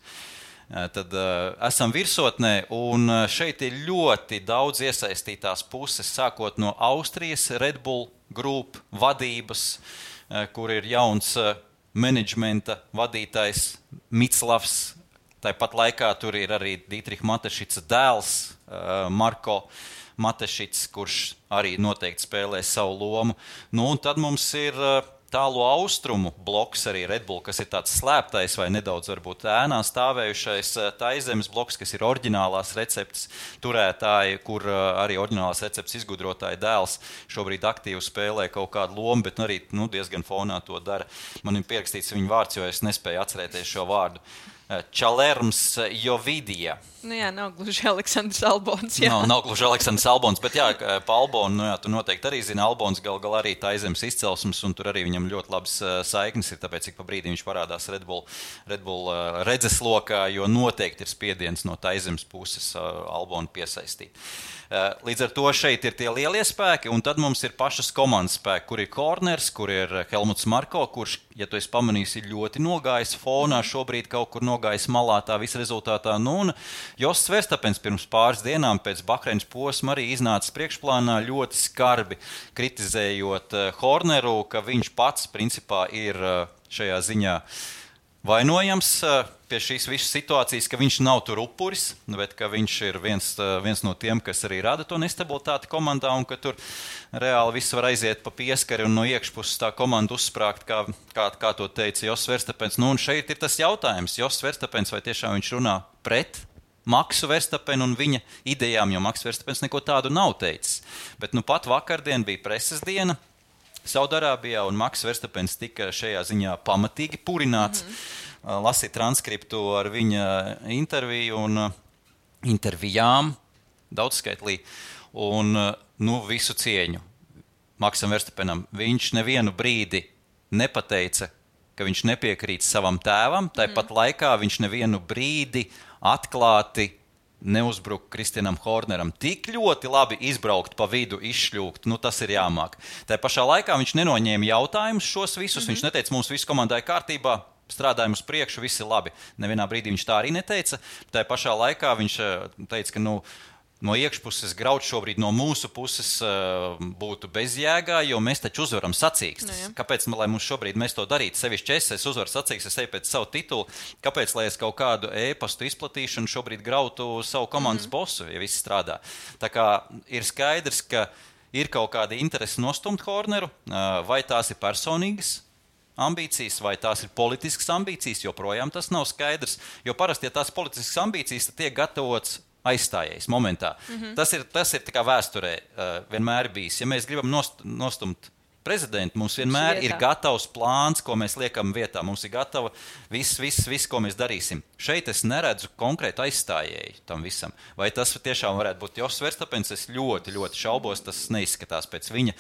Tad uh, esam virsotnē, un šeit ir ļoti daudz iesaistītās puses, sākot no Austrijas Red Bull Group vadības, uh, kur ir jauns uh, menedžmenta vadītājs Miclavs. Tāpat laikā tur ir arī Dietriha Matešica dēls uh, Marko Matešics, kurš arī noteikti spēlē savu lomu. Nu, un tad mums ir uh, tālo austrumu bloks arī Red Bull, kas ir tāds slēptais vai nedaudz varbūt ēnā stāvējušais Taizemes bloks, kas ir oriģinālās receptes turētāji, kur arī oriģinālās receptes izgudrotāji dēls šobrīd aktīvi spēlē kaut kādu lomu, bet arī nu, diezgan fonā to dara. Man ir pierakstīts viņa vārds, jo es nespēju atcerēties šo vārdu. Čalerms Jovidija. Nu jā, nav gluži Aleksandrs Albons. Jā. Nav, nav gluži Aleksandrs Albons, bet jā, pa Albonu, nu jā, tu noteikti arī zini, Albons gal gal arī Taizemes izcelsmes, un tur arī viņam ļoti labas saiknes ir, tāpēc, cik pa brīdī viņš parādās Red Bull, Red Bull redzeslokā, jo noteikti ir spiediens no Taizemes puses Albonu piesaistīt. Līdz ar to šeit ir tie lielie spēki, un tad mums ir pašas komandas spēki, kur ir Horners, kur ir Helmuts Marko, kurš ja tu esi pamanījis, ir ļoti nogājis fonā, šobrīd kaut kur nogājis malā tā visa rezultātā. Nu, un Josts Verstapens pirms pāris dienām pēc Bahreinas posma arī iznāca priekšplānā ļoti skarbi kritizējot Horneru, ka viņš pats principā ir šajā ziņā vainojams pie šīs visas situācijas, ka viņš nav tur upuris, bet ka viņš ir viens, viens no tiem, kas arī rada to nestabilitāti komandā un ka tur reāli viss var aiziet pa pieskari un no iekšpuses tā komanda uzsprāgt, kā, kā, kā to teica Josts Verstapens. Nu, un šeit ir tas jautājums, Josts Verstapens, vai tiešām viņš runā pret Maksu Verstapenu un viņa idejām, jo Maks Verstapens neko tādu nav teicis. Bet nu pat vakardien bija preses diena Saudarābijā un Maks Verstapens tika šajā ziņā pamatīgi purināts. Mm-hmm. Lasīja transkriptu ar viņa interviju un intervijām daudzskaitlī un nu, visu cieņu Maksam Verstapenam. Viņš nevienu brīdi nepateica, ka viņš nepiekrīt savam tēvam, tāpat mm. laikā viņš nevienu brīdi atklāti neuzbruka Kristianam Horneram. Tik ļoti labi izbraukt pa vidu, izšļūkt, nu tas ir jāmāk. Tā pašā laikā viņš nenoņēma jautājumus šos visus, mm-hmm. viņš neteica, mums visu komandai kārtībā, strādājam uz priekšu, viss ir labi. Nevienā brīdī viņš tā arī neteica. Tā pašā laikā viņš teica, ka nu, no iekšpuses graut šobrīd no mūsu puses uh, būtu bezjēgā, jo mēs taču uzvaram sacīkstes. No, kāpēc, lai mums šobrīd mēs to darītu? Sevišķi es, es uzvaru sacīkstes, es eju pēc savu titulu. Kāpēc, lai es kaut kādu e-pastu izplatīšanu šobrīd grautu savu komandas mm-hmm. bosu, ja viss strādā? Tā kā ir skaidrs, ka ir kaut kāda interese nostumt Horneru, uh, vai tās ir personīgas ambīcijas, vai tās ir politiskas ambīcijas, joprojām tas nav skaidrs. Jo parasti, ja tās politiskas ambīcijas, tad tiek gatavots aizstājies momentā. Mm-hmm. Tas ir, tas ir tā kā vēsturē uh, vienmēr bijis. Ja mēs gribam nost, nostumt prezidentu, mums vienmēr ir gatavs plāns, ko mēs liekam vietā. Mums ir gatava viss, viss, viss, ko mēs darīsim. Šeit es neredzu konkrētu aizstājēju tam visam. Vai tas tiešām varētu būt Josts Verstapens? Es ļoti, ļoti šaubos, tas neizskatās pēc viņa.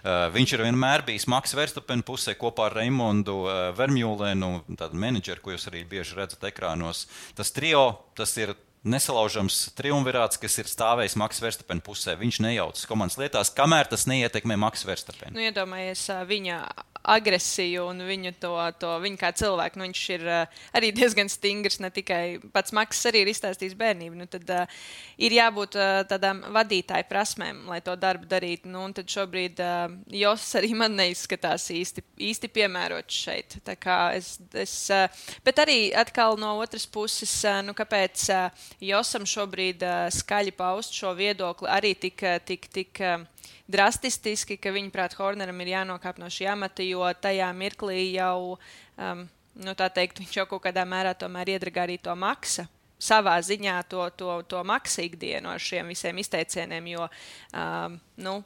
Uh, viņš ir vienmēr bijis Maks Verstapena pusē kopā ar Reimondu uh, Vermjūlenu, tādu menedžeru, ko jūs arī bieži redzat ekrānos. Tas trio, tas ir nesalaužams triumvirāts, kas ir stāvējis Maks Verstapena pusē. Viņš nejaucas komandas lietās, kamēr tas neietekmē Maks Verstapenu. Nu, iedomājies viņa agresiju un viņu to, to viņu kā cilvēku. Nu, viņš ir uh, arī diezgan stingrs, ne tikai pats Maks arī ir izstāstījis bērnību. Nu, tad uh, ir jābūt uh, tādām vadītāju prasmēm, lai to darbu darītu. Nu, un tad šobrīd uh, Josts arī man neizskatās īsti, īsti piemērots šeit. Tā kā es, es, uh, bet arī atkal no otras puses, uh, nu, kāpēc uh, Josam šobrīd uh, skaļi paust šo viedokli arī tik, tik, tik uh, drastiski, ka viņaprāt Horneram ir jānokāp no šī amata, jo tajā mirklī jau, um, nu tā teikt, viņš jau kaut kādā mērā tomēr iedragā arī to Maksa. Savā ziņā to, to, to Maksa ikdienu ar šiem visiem izteicieniem, jo, um, nu,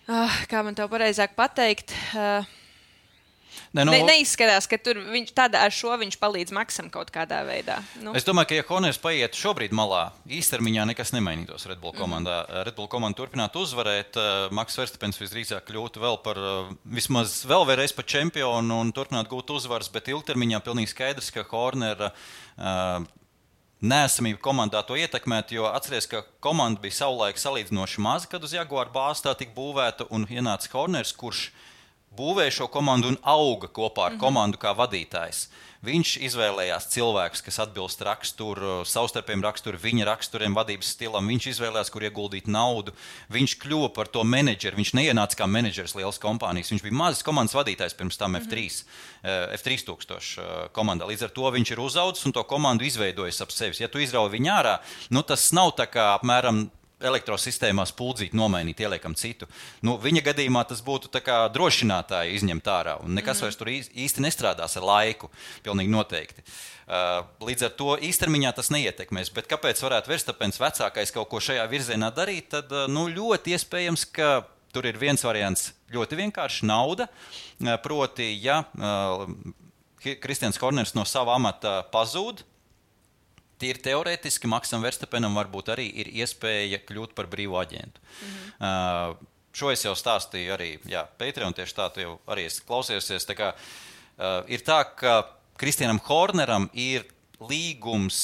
uh, kā man tev pareizāk pateikt, uh, Ne, nu, ne, neizskatās, ka tur viņš, tādā, ar šo viņš palīdz Maksam kaut kādā veidā. Nu. Es domāju, ka ja Horners paiet šobrīd malā, īstermiņā nekas nemainītos Red Bull komandā. Mm. Red Bull komanda turpinātu uzvarēt, Maks Verstapens visdrīzāk kļūtu vēl par, vismaz vēl vēlreiz par čempionu un turpinātu gūt uzvaras, bet ilgtermiņā pilnīgi skaidrs, ka Horner uh, neesamība komandā to ietekmētu, jo atceries, ka komanda bija savulaik salīdzinoši maza, kad uz Jaguar bāzi tā tika būvēta un ienāca Horners, kurš būvēja šo komandu un auga kopā ar komandu kā vadītājs. Viņš izvēlējās cilvēkus, kas atbilst raksturu, savstarpējiem raksturu, viņa raksturiem, vadības stilam. Viņš izvēlējās, kur ieguldīt naudu. Viņš kļuva par to menedžeru. Viņš neienāca kā menedžers lielas kompānijas. Viņš bija mazas komandas vadītājs pirms tam F trīs, F trīs tūkstoši komandā. Līdz ar to viņš ir uzaudzis un to komandu izveidojis ap sevis. Ja tu izrauj viņu ārā, nu tas nav tā kā apmēram elektrosistēmās puldzīt, nomainīt, ieliekam citu. Nu, viņa gadījumā tas būtu tā kā drošinātāji izņemt ārā, un nekas mm-hmm. vairs tur īsti nestrādās ar laiku, pilnīgi noteikti. Uh, līdz ar to īstermiņā tas neietekmēs, bet kāpēc varētu Verstapens vecākais kaut ko šajā virzienā darīt, tad uh, nu, ļoti iespējams, ka tur ir viens variants ļoti vienkārši nauda, uh, proti, ja uh, Kristians Horners no sava amata pazūd, tīri teorētiski Maksam Verstapenam varbūt arī ir iespēja kļūt par brīvu aģentu. Mm-hmm. Uh, šo es jau stāstīju arī jā, Patreon, tieši tā tu jau arī esi klausījusies. Tā kā, uh, ir tā, ka Kristianam Horneram ir līgums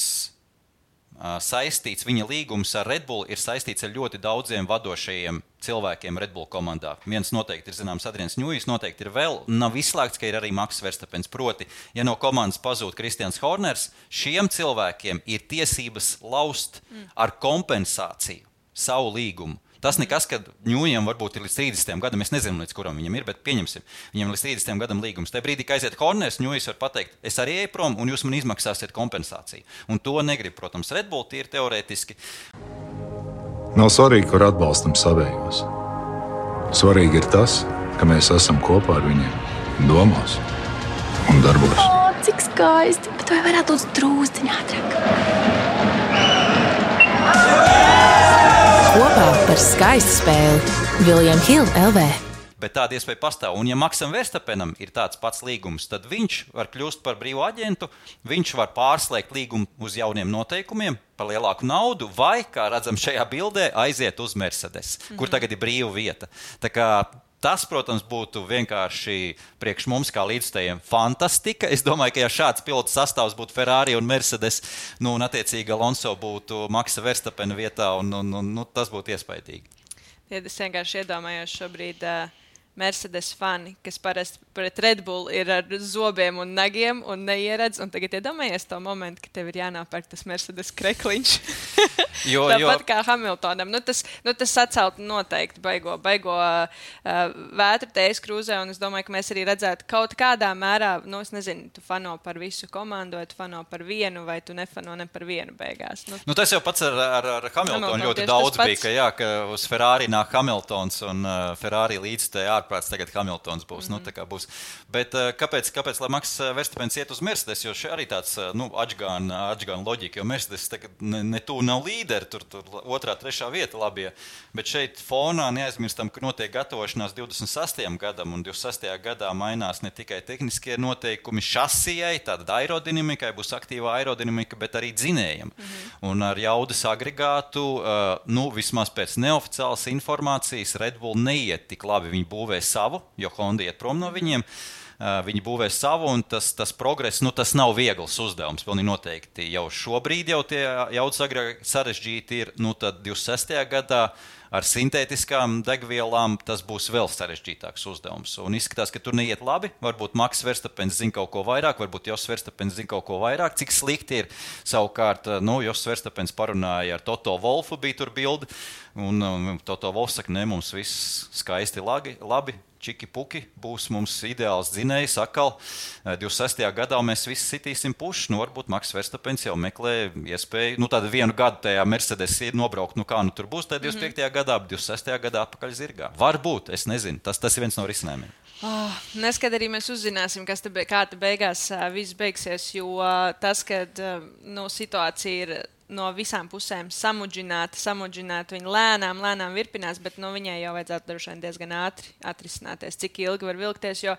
saistīts, viņa līgums ar Red Bull ir saistīts ar ļoti daudziem vadošajiem cilvēkiem Red Bull komandā. Viens noteikti ir zināms Adrians Ņujs, noteikti ir vēl, nav izslēgts, ka ir arī Maks Verstapens. Proti, ja no komandas pazūd Kristians Horners, šiem cilvēkiem ir tiesības laust ar kompensāciju savu līgumu. Tas nekas, kad Ņujam varbūt ir līdz trīsdesmitajam gadam, es nezinu, līdz kuram viņam ir, bet pieņemsim, viņam līdz trīsdesmitajam gadam līgums. Tajā brīdī, kad aiziet Horners, Ņujs var pateikt, es arī eju prom, un jūs man izmaksāsiet kompensāciju. Un to negrib, protams, Red Bull, tie ir teorētiski. Nav svarīgi, kur atbalstam savējos. Svarīgi ir tas, ka mēs esam kopā ar viņiem domās un darbos. O, cik skaisti, bet vai varētu būt drūzdiņā ātrāk? Kopā par skaistu spēli William Hill L V. Bet tāda iespēja pastāv. Un ja Maksam Verstapenam ir tāds pats līgums, tad viņš var kļūst par brīvu aģentu, viņš var pārslēgt līgumu uz jauniem noteikumiem par lielāku naudu, vai, kā redzam šajā bildē, aiziet uz Mercedes, mm-hmm. kur tagad ir brīva vieta. Tā kā tas, protams, būtu vienkārši priekš mums kā līdzstājiem fantastika. Es domāju, ka ja šāds pilotu sastāvs būtu Ferrari un Mercedes, nu, un attiecīgi Alonso būtu Maksa Verstapena vietā, un, un, un nu, tas būtu iespaidīgi. Ja es vienkārši iedomājos šobrīd uh, Mercedes fani, kas parasti pret Red Bull ir ar zobiem un nagiem un neieredz, un tagad iedomājies to momentu, ka tev ir jānopērk tas Mercedes krekliņš. Jo, Tāpat jo. Kā Hamiltonam. Nu, tas, nu, tas sacelt noteikti baigo, baigo uh, vētru tējas krūzē, un es domāju, ka mēs arī redzētu kaut kādā mērā, nu, es nezinu, tu fano par visu komandu, vai tu fano par vienu, vai tu nefano ne par vienu beigās. Nu, nu, tas jau pats ar, ar, ar Hamiltonu Hamilton, ļoti daudz bija, ka, jā, ka uz Ferrari nāk Hamiltons, un uh, Ferrari līdz te ārprāts tagad Hamiltons būs. Mm-hmm. Nu, tā kā būs. Bet uh, kāpēc, kāpēc, lai Maks Verstapens iet uz Mercedes, jo šeit arī tāds, uh, nu, atžgāna, atžgāna loģika, jo Mercedes tagad ne, ne tu nav līderi, tur, tur otrā, trešā vieta labie. Bet šeit fonā neaizmirstam, ka notiek gatavošanās divdesmit sastajam gadam, un divdesmit sastajā gadā mainās ne tikai tehniskie noteikumi šasijai, tāda aerodinamikai, būs aktīva aerodinamika, bet arī dzinējam. Mm-hmm. Un ar jaudas agregātu, uh, nu, vismaz pēc neoficiālas informācijas, Red Bull neiet tik labi, viņi būvē savu, jo Honda iet prom no viņiem. Uh, viņi būvē savu, un tas, tas progress, nu, tas nav viegls uzdevums. Pilnīgi noteikti jau šobrīd jau tie jaudas agrāk sarežģīti ir, nu, tad divdesmit sastajā gadā ar sintētiskām degvielām tas būs vēl sarežģītāks uzdevums. Un izskatās, ka tur neiet labi. Varbūt Maks Verstapens zina kaut ko vairāk, varbūt Jos Verstapens zina kaut ko vairāk. Cik slikti ir savukārt, nu, Jos Verstapens parunāja ar Toto Wolfu, bija tur bildi, un, un Toto Wolfs saka, ne, mums viss skaisti labi, labi. Čiki puki būs mums ideāls dzinējs atkal. divdesmit sastajā gadā mēs visi sitīsim puši. Nu, varbūt Maks Verstapens jau meklē iespēju, nu, tādu vienu gadu tajā Mercedes ir nobraukt, nu, kā nu tur būs tajā divdesmit piektajā gadā, divdesmit sastajā gadā atpakaļ zirgā. Varbūt, es nezinu, tas, tas ir viens no risinājumiem. Oh, neskad arī mēs uzzināsim, kas te be, kā te beigās uh, viss beigsies, jo uh, tas, kad uh, nu, situācija ir no visām pusēm samudžināta, samudžināta, viņa lēnām, lēnām virpinās, bet nu, viņai jau vajadzētu droši vien diezgan ātri atrisināties, cik ilgi var vilkties, jo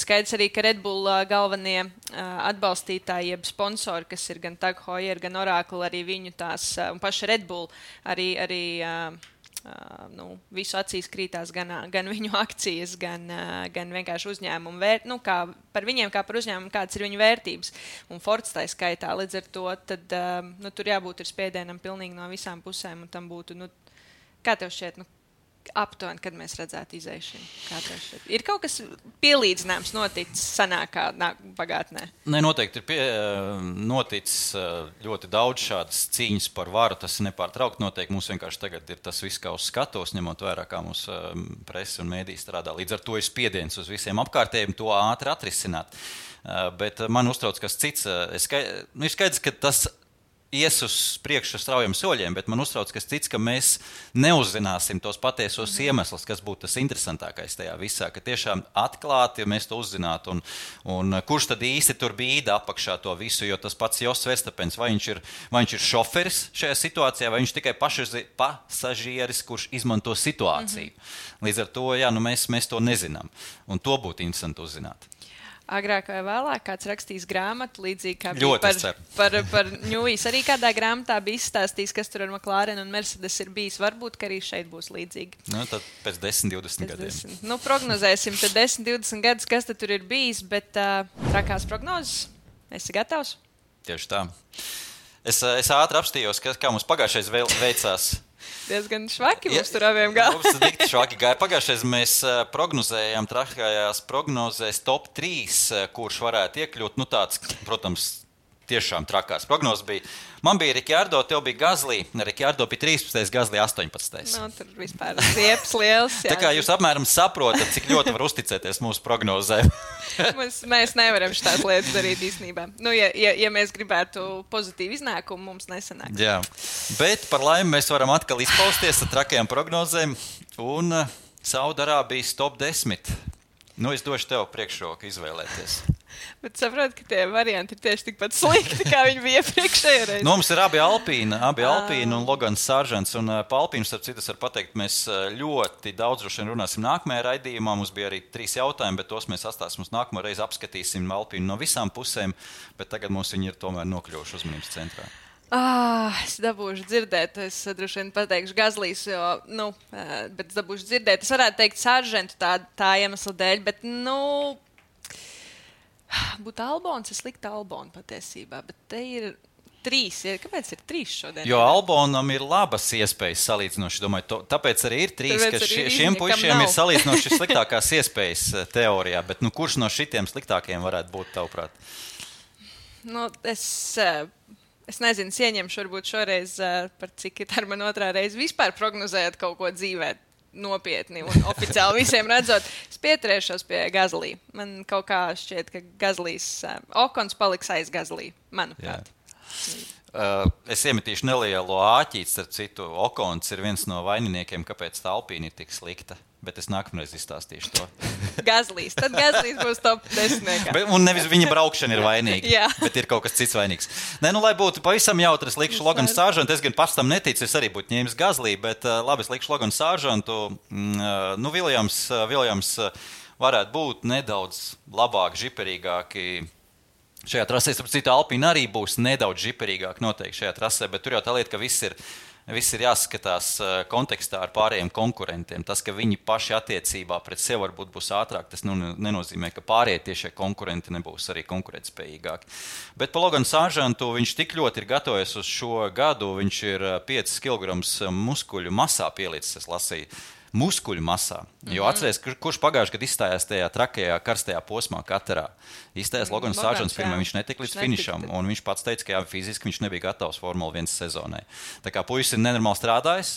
skaidrs arī, ka Red Bull uh, galvenie uh, atbalstītāji, jeb sponsori, kas ir gan Tag Heuer, gan Oracle, arī viņu tās, uh, un paši Red Bull, arī, arī uh, Uh, nu, visu acīs krītās gan, gan viņu akcijas, gan, uh, gan vienkārši uzņēmumu vērt, nu, kā par viņiem, kā par uzņēmumu, kādas ir viņu vērtības. Un Fords tā skaitā, līdz ar to, tad, uh, nu, tur jābūt ir spiedienam pilnīgi no visām pusēm, un tam būtu, nu, kā tev šķiet, nu, aptuveni, kad mēs redzētu izēšanu? Kā tev šķiet? Ir kaut kas pielīdzināms noticis sanākā pagātnē? Ne, noteikti ir pie, noticis ļoti daudz šādas cīņas par varu. Tas ir nepārtraukti noteikti. Mums vienkārši tagad ir tas viss kā uz skatos, ņemot vērā, kā mums presa un mēdī strādā. Līdz ar to ir spiediens uz visiem apkārtējiem to ātri atrisināt. Bet man uztrauc kas cits. Es skaidrs, nu, ir skaidrs, ka tas ies uz priekšu straujiem soļiem, bet man uztrauc kas cits, ka mēs neuzzināsim tos patiesos mm. iemeslus, kas būtu tas interesantākais tajā visā, ka tiešām atklāti, ja mēs to uzzinātu, un, un kurš tad īsti tur bija apakšā to visu, jo tas pats Jos Verstapens, vai viņš ir, vai viņš ir šoferis šajā situācijā, vai viņš tikai pašaži, pasažieris, kurš izmanto situāciju. Mm-hmm. Līdz ar to, jā, nu mēs, mēs to nezinām, un to būtu interesanti uzzināt. Agrāk vai vēlāk kāds rakstīs grāmatu, līdzīgi kā bija par, par, par Ņujs. Arī kādā grāmatā bija izstāstījis, kas tur ar McLaren un Mercedes ir bijis. Varbūt, ka arī šeit būs līdzīgi. Nu, tad pēc desmit, divdesmit gadiem. desmit. Nu, prognozēsim tad desmit, divdesmit gadus, kas tad tur ir bijis, bet uh, trakās prognozes. Esi gatavs? Tieši tā. Es, es ātri apstījos, ka, kā mums pagājušais veicās. Diezgan švaki mums tur abiem gāja. Mums dikti švaki gāja. Pagājušais mēs prognozējām trakajās prognozēs top trīs, kurš varētu iekļūt. Nu tāds, protams, tiešām trakās prognozes bija. Man bija Rikārdo, tev bija Gazlī. Rikārdo bija trīspadsmitais, Gazlī astoņpadsmitais. Nu, tur vispār zieps liels. Jā. Tā kā jūs apmēram saprotat, cik ļoti var uzticēties mūsu prognozēm. Mēs, mēs nevaram šitās lietas darīt īstenībā. Nu, ja, ja, ja mēs gribētu pozitīvu iznākumu, mums nesanāk. Jā, bet par laimi mēs varam atkal izpausties ar trakajām prognozēm. Un Saudarābijas top desmit. Nu, es došu tev priekšroku izvēlēties. Bet saprotu, ka tie varianti ir tieši tikpat slikti, kā viņi bija iepriekšējā reizē. Nu, mums ir abi Alpīna, abi Alpīna un Logans Sāržants. Un pa Alpīnu, starp citu, var pateikt, mēs ļoti daudz droši vien runāsim nākamajā raidījumā. Mums bija arī trīs jautājumi, bet tos mēs atstāsim uz nākamo reizi, apskatīsim Alpīnu no visām pusēm. Bet tagad mums viņi ir tomēr nokļuvuši uzmanības centrā. Ah, es dabūšu dzirdēt, es droši vien pateikšu Gazlīs, jo, nu, bet es dabūšu dzirdēt. Es varētu teikt Sāržantu tā, tā iemesla dēļ, bet, nu, būtu Albons, es liktu Albonu patiesībā, bet te ir trīs. Ir. Kāpēc ir trīs šodien? Jo Albonam ir labas iespējas salīdzinoši, domāju, to, tāpēc arī ir trīs, tāpēc ka šie, šiem puišiem ir salīdzinoši sliktākās iespējas teorijā, bet, nu, kurš no šitiem sliktākiem varētu būt, tavuprāt? Nu, es... Es nezinu, ieņemšu varbūt šoreiz, par cik ir ar man otrā reize vispār prognozējot kaut ko dzīvē nopietni un oficiāli visiem redzot. Es pieturēšos pie Gazlī. Man kaut kā šķiet, ka Gazlīs, Okons paliks aiz Gazlī, manuprāt. Uh, es iemetīšu nelielu āķīti, starp citu, Okons ir viens no vaininiekiem, kāpēc tā Alpīna ir tik slikta. Bet es nākamreiz izstāstīšu to. Gazlīs. Tad Gazlīs būs top desmitniekā. Un nevis viņa braukšana ir vainīga, Jā. bet ir kaut kas cits vainīgs. Nē, nu, lai būtu pavisam jautri, es likšu Loganu Sāržantu. Es gan pats tam neticu, es arī būtu ņēmis Gazlī, bet uh, labi, es likšu Loganu Sāržantu. Mm, uh, nu, Viljams, uh, Viljams uh, varētu būt nedaudz labāk, žiperīgāki. Šajā trasē, starp citu, Alpīna arī būs nedaudz žiperīgāk noteikti šajā trasē, bet tur jau tā lieta, ka viss ir Viss ir jāskatās kontekstā ar pārējiem konkurentiem. Tas, ka viņi paši attiecībā pret sevi varbūt būs ātrāk, tas nu, nenozīmē, ka pārējie tiešie konkurenti nebūs arī konkurētspējīgāki. Bet pa Loganu Sāržantu viņš tik ļoti ir gatavojies uz šo gadu, viņš ir piecus kilogramus muskuļu masā pielicis, es lasīju. Muskuļu masā. Jo atceries, kur, kurš pagājuši gadu izstājās tajā trakajā, karstajā posmā Katarā. Izstājās Logans Sāržants firmā, viņš netika līdz finišam, un viņš pats teica, ka jā, fiziski viņš nebija gatavs Formula viens sezonai. Tā kā puisis ir nenormāli strādājis,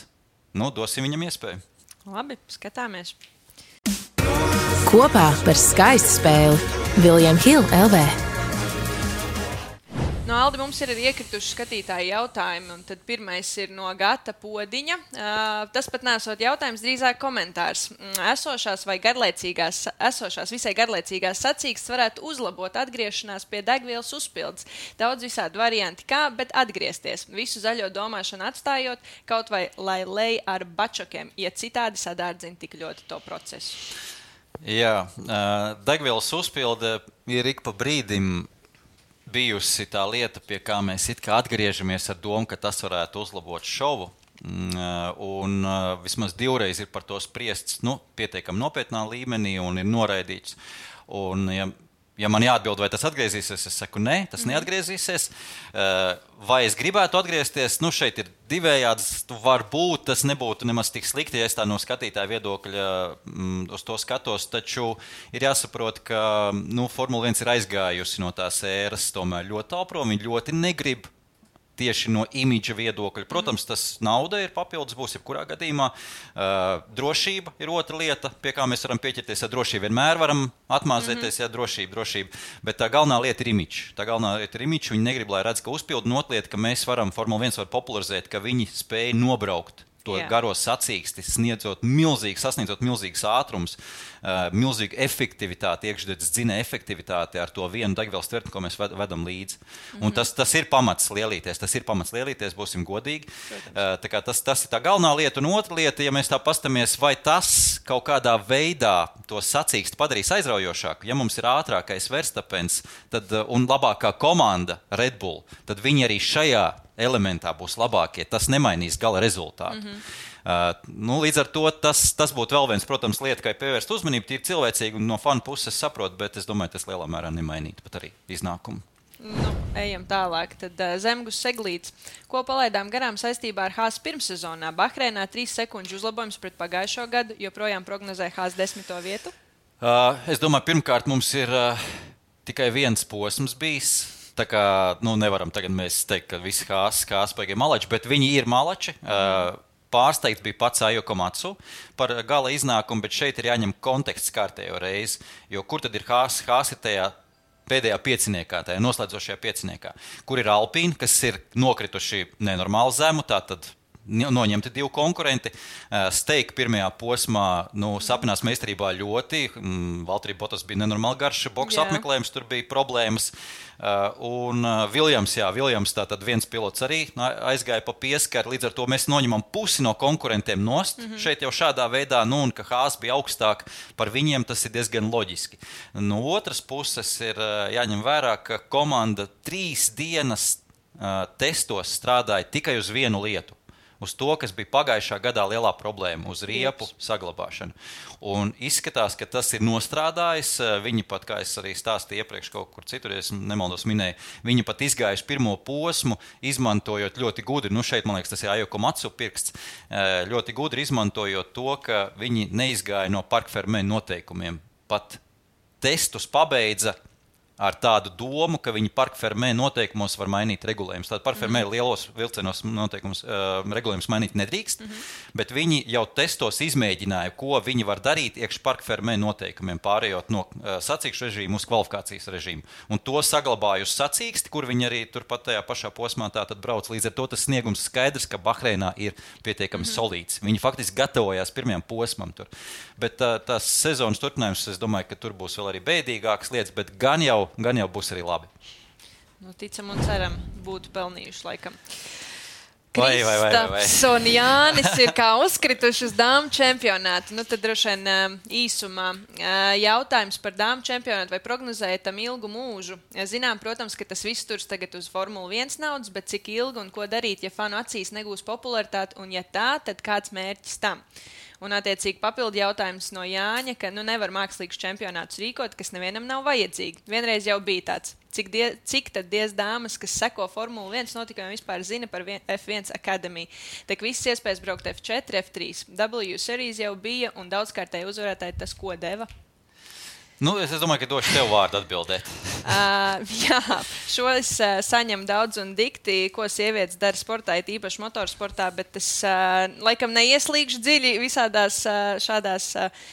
nu, dosim viņam iespēju. Labi, skatāmies. Kopā par skaistu spēli William Hill L V. No Aldi mums ir arī iekrituši skatītāji jautājumi, un tad pirmais ir no Gata Podiņa. Uh, tas pat nesot jautājums, drīzāk komentārs. Esošās vai garlaicīgās, esošās visai garlaicīgās sacīkstes varētu uzlabot atgriešanās pie degvielas uzpildes. Daudz visādi varianti kā, bet atgriezties. Visu zaļo domāšanu atstājot, kaut vai lai lej ar bačokiem, ja citādi sadārdzina tik ļoti to procesu. Jā, uh, degvielas uzpilde ir ik pa brīdim bijusi tā lieta, pie kā mēs it kā atgriežamies ar domu, ka tas varētu uzlabot šovu. Un vismaz divreiz ir par to spriests, nu, pietiekami nopietnā līmenī un ir noraidīts. Un, ja, ja man jāatbild, vai tas atgriezīsies, es saku, nē, tas neatgriezīsies. Vai es gribētu atgriezties? Nu, šeit ir divējāds, varbūt tas nebūtu nemaz tik slikti, ja es tā no skatītāja viedokļa mm, uz to skatos, taču ir jāsaprot, ka nu, Formula viens ir aizgājusi no tās ēras tomēr ļoti tālu prom, viņi ļoti negrib tieši no imidža viedokļa. Protams, tas nauda ir papildus, būs jebkurā gadījumā. Uh, drošība ir otra lieta, pie kā mēs varam pieķerties. Ja drošība vienmēr varam atmāzēties, ja drošība, drošība. Bet tā galvenā lieta ir imidžs. Tā galvenā lieta ir imidžs. Viņi negrib, lai redz, ka uzpildu notlieta, ka mēs varam, Formula viens var popularizēt, ka viņi spēja nobraukt to Jā. Garo sacīksti, sniedzot milzīgi, sasniedzot milzīgas ātrums, uh, milzīgu efektivitāti, iekšdedzes dzinēja efektivitāti ar to vienu degvielas tvertni, ko mēs ved, vedam līdzi. Mm-hmm. Un tas, tas ir pamats lielīties, tas ir pamats lielīties, būsim godīgi. Uh, tā kā tas, tas ir tā galvenā lieta. Un otra lieta, ja mēs tā pastamies, vai tas kaut kādā veidā to sacīksti padarīs aizraujošāku, ja mums ir ātrākais Verstappens tad, uh, un labākā komanda Red Bull, tad viņi arī šajā elementā būs labākie. Tas nemainīs gala rezultātu. Mm-hmm. Uh, nu, līdz ar to tas, tas būtu vēl viens, protams, lieta, kā pievērst uzmanību. Tīri cilvēcīgi un no fanu puses saprot, bet es domāju, tas lielā mērā nemainītu pat arī iznākumu. Nu, ejam tālāk. Tad uh, Zemgus Seglīts. Ko palaidām garām saistībā ar Haas pirmssezonā? Bahreinā trīs sekundžu uzlabojums pret pagājušo gadu, joprojām prognozē Haas desmito vietu? Uh, es domāju, pirmkārt mums ir uh, tikai viens posms bijis. Tā kā nu, nevaram tagad mēs teikt, ka visi Haas, Haas paigi malači, bet viņi ir malači. Uh, Pārsteigts bija pats Ajo Komatsu par gala iznākumu, bet šeit ir jāņem konteksts kārtējo reizi. Jo kur tad ir Haas? Haas ir tajā pēdējā pieciniekā, tajā noslēdzošajā pieciniekā, kur ir Alpīna, kas ir nokrituši nenormāli zemu, tātad noņemti divi konkurenti. Steik pirmajā posmā nu, sapinās meistarībā ļoti. Valtteri Bottas bija nenormāli garš boksu apmeklējums, tur bija problēmas. Un Viljams, jā, Viljams tātad viens pilots arī aizgāja pa pieskaru, līdz ar to mēs noņemam pusi no konkurentiem nost. Mm-hmm. Šeit jau šādā veidā, nu, un ka Haas bija augstāk par viņiem, tas ir diezgan loģiski. No otras puses ir jāņem vērā, ka komanda trīs dienas uh, testos strādāja tikai uz vienu lietu. Uz to, kas bija pagājušā gadā lielā problēma, uz riepu saglabāšanu. Un izskatās, ka tas ir nostrādājis. Viņi pat, kā es arī stāstīju iepriekš kaut kur citur, es nemaldos minēju, viņi pat izgājuši pirmo posmu, izmantojot ļoti gudri, nu šeit, man liekas, tas ir Ajo Komatsu pirksts, ļoti gudri izmantojot to, ka viņi neizgāja no Parc Fermé noteikumiem. Pat testus pabeidza ar tādu domu, ka viņi Parc Fermé noteikumos var mainīt regulējumus. Tātad Parc Fermé mm-hmm. lielos vilcienos noteikumus, uh, regulējumus mainīt nedrīkst, mm-hmm. bet viņi jau testos izmēģināja, ko viņi var darīt iekš Parc Fermé noteikumiem, pārējot no uh, sacīkšu režīmu uz kvalifikācijas režīmu. Un to saglabāja uz sacīksti, kur viņi arī turpat tajā pašā posmā tātad brauc. Līdz ar to tas sniegums skaidrs, ka Bahreinā ir pietiekami mm-hmm. solīts. Viņi faktiski gatavojās pirmajam posmam tur. Bet uh, tās sezonas turpinājums, es domāju, ka tur būs vēl arī bēdīgākas lietas, bet gan jau gan jau būs arī labi. Nu, ticam un ceram, būtu pelnījuši laikam. Vai, vai, vai, vai, vai. Kristaps un Jānis ir kā uzkrituši uz dāmu čempionātu. Nu, tad droši vien īsumā jautājums par dāmu čempionātu. Vai prognozējat tam ilgu mūžu? Zinām, protams, ka tas viss turs tagad uz Formula viens naudas, bet cik ilgi un ko darīt, ja fanu acīs negūs popularitāti, un ja tā, tad kāds mērķis tam? Un, attiecīgi, papildu jautājums no Jāņa, ka nu, nevar mākslīgus čempionātus rīkot, kas nevienam nav vajadzīgi. Vienreiz jau bija tāds, cik, die, cik tad diez dāmas, kas seko Formula viens notikumiem, vispār zina par F viens Academy. Tak visas iespējas braukt F četri, F trīs. W Series jau bija, un daudzkārtēji uzvarētāji tas, ko deva. Nu, es domāju, ka došu tev vārdu atbildēt. uh, jā, šo es uh, saņemu daudz un dikti, ko sievietes dara sportā, it īpaši motorsportā, bet es uh, laikam neieslīgšu dziļi visādās uh, šādās uh,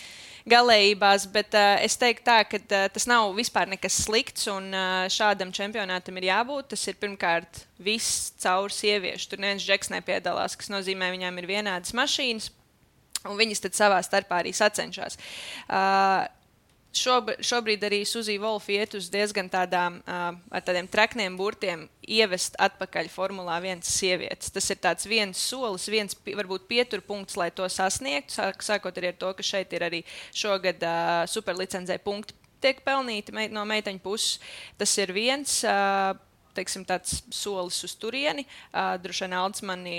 galējībās, bet uh, es teiktu tā, ka uh, tas nav vispār nekas slikts, un uh, šādam čempionātam ir jābūt. Tas ir pirmkārt viss caur sieviešu. Tur neviens džeks nepiedalās, kas nozīmē, viņām ir vienādas mašīnas, un viņas tad savā starpā arī sacenšās. Uh, Šob, šobrīd arī Suzija Wolfa iet uz diezgan tādām, uh, ar tādiem trakniem burtiem ievest atpakaļ Formulā viens sievietes. Tas ir tāds viens solis, viens varbūt pieturpunkts, lai to sasniegtu, sāk, sākot arī ar to, ka šeit ir arī šogad uh, superlicenzē punkti tiek pelnīti mei, no meiteņu puses. Tas ir viens... Uh, teiksim, tāds solis uz turieni. Uh, Droši vien Aldis mani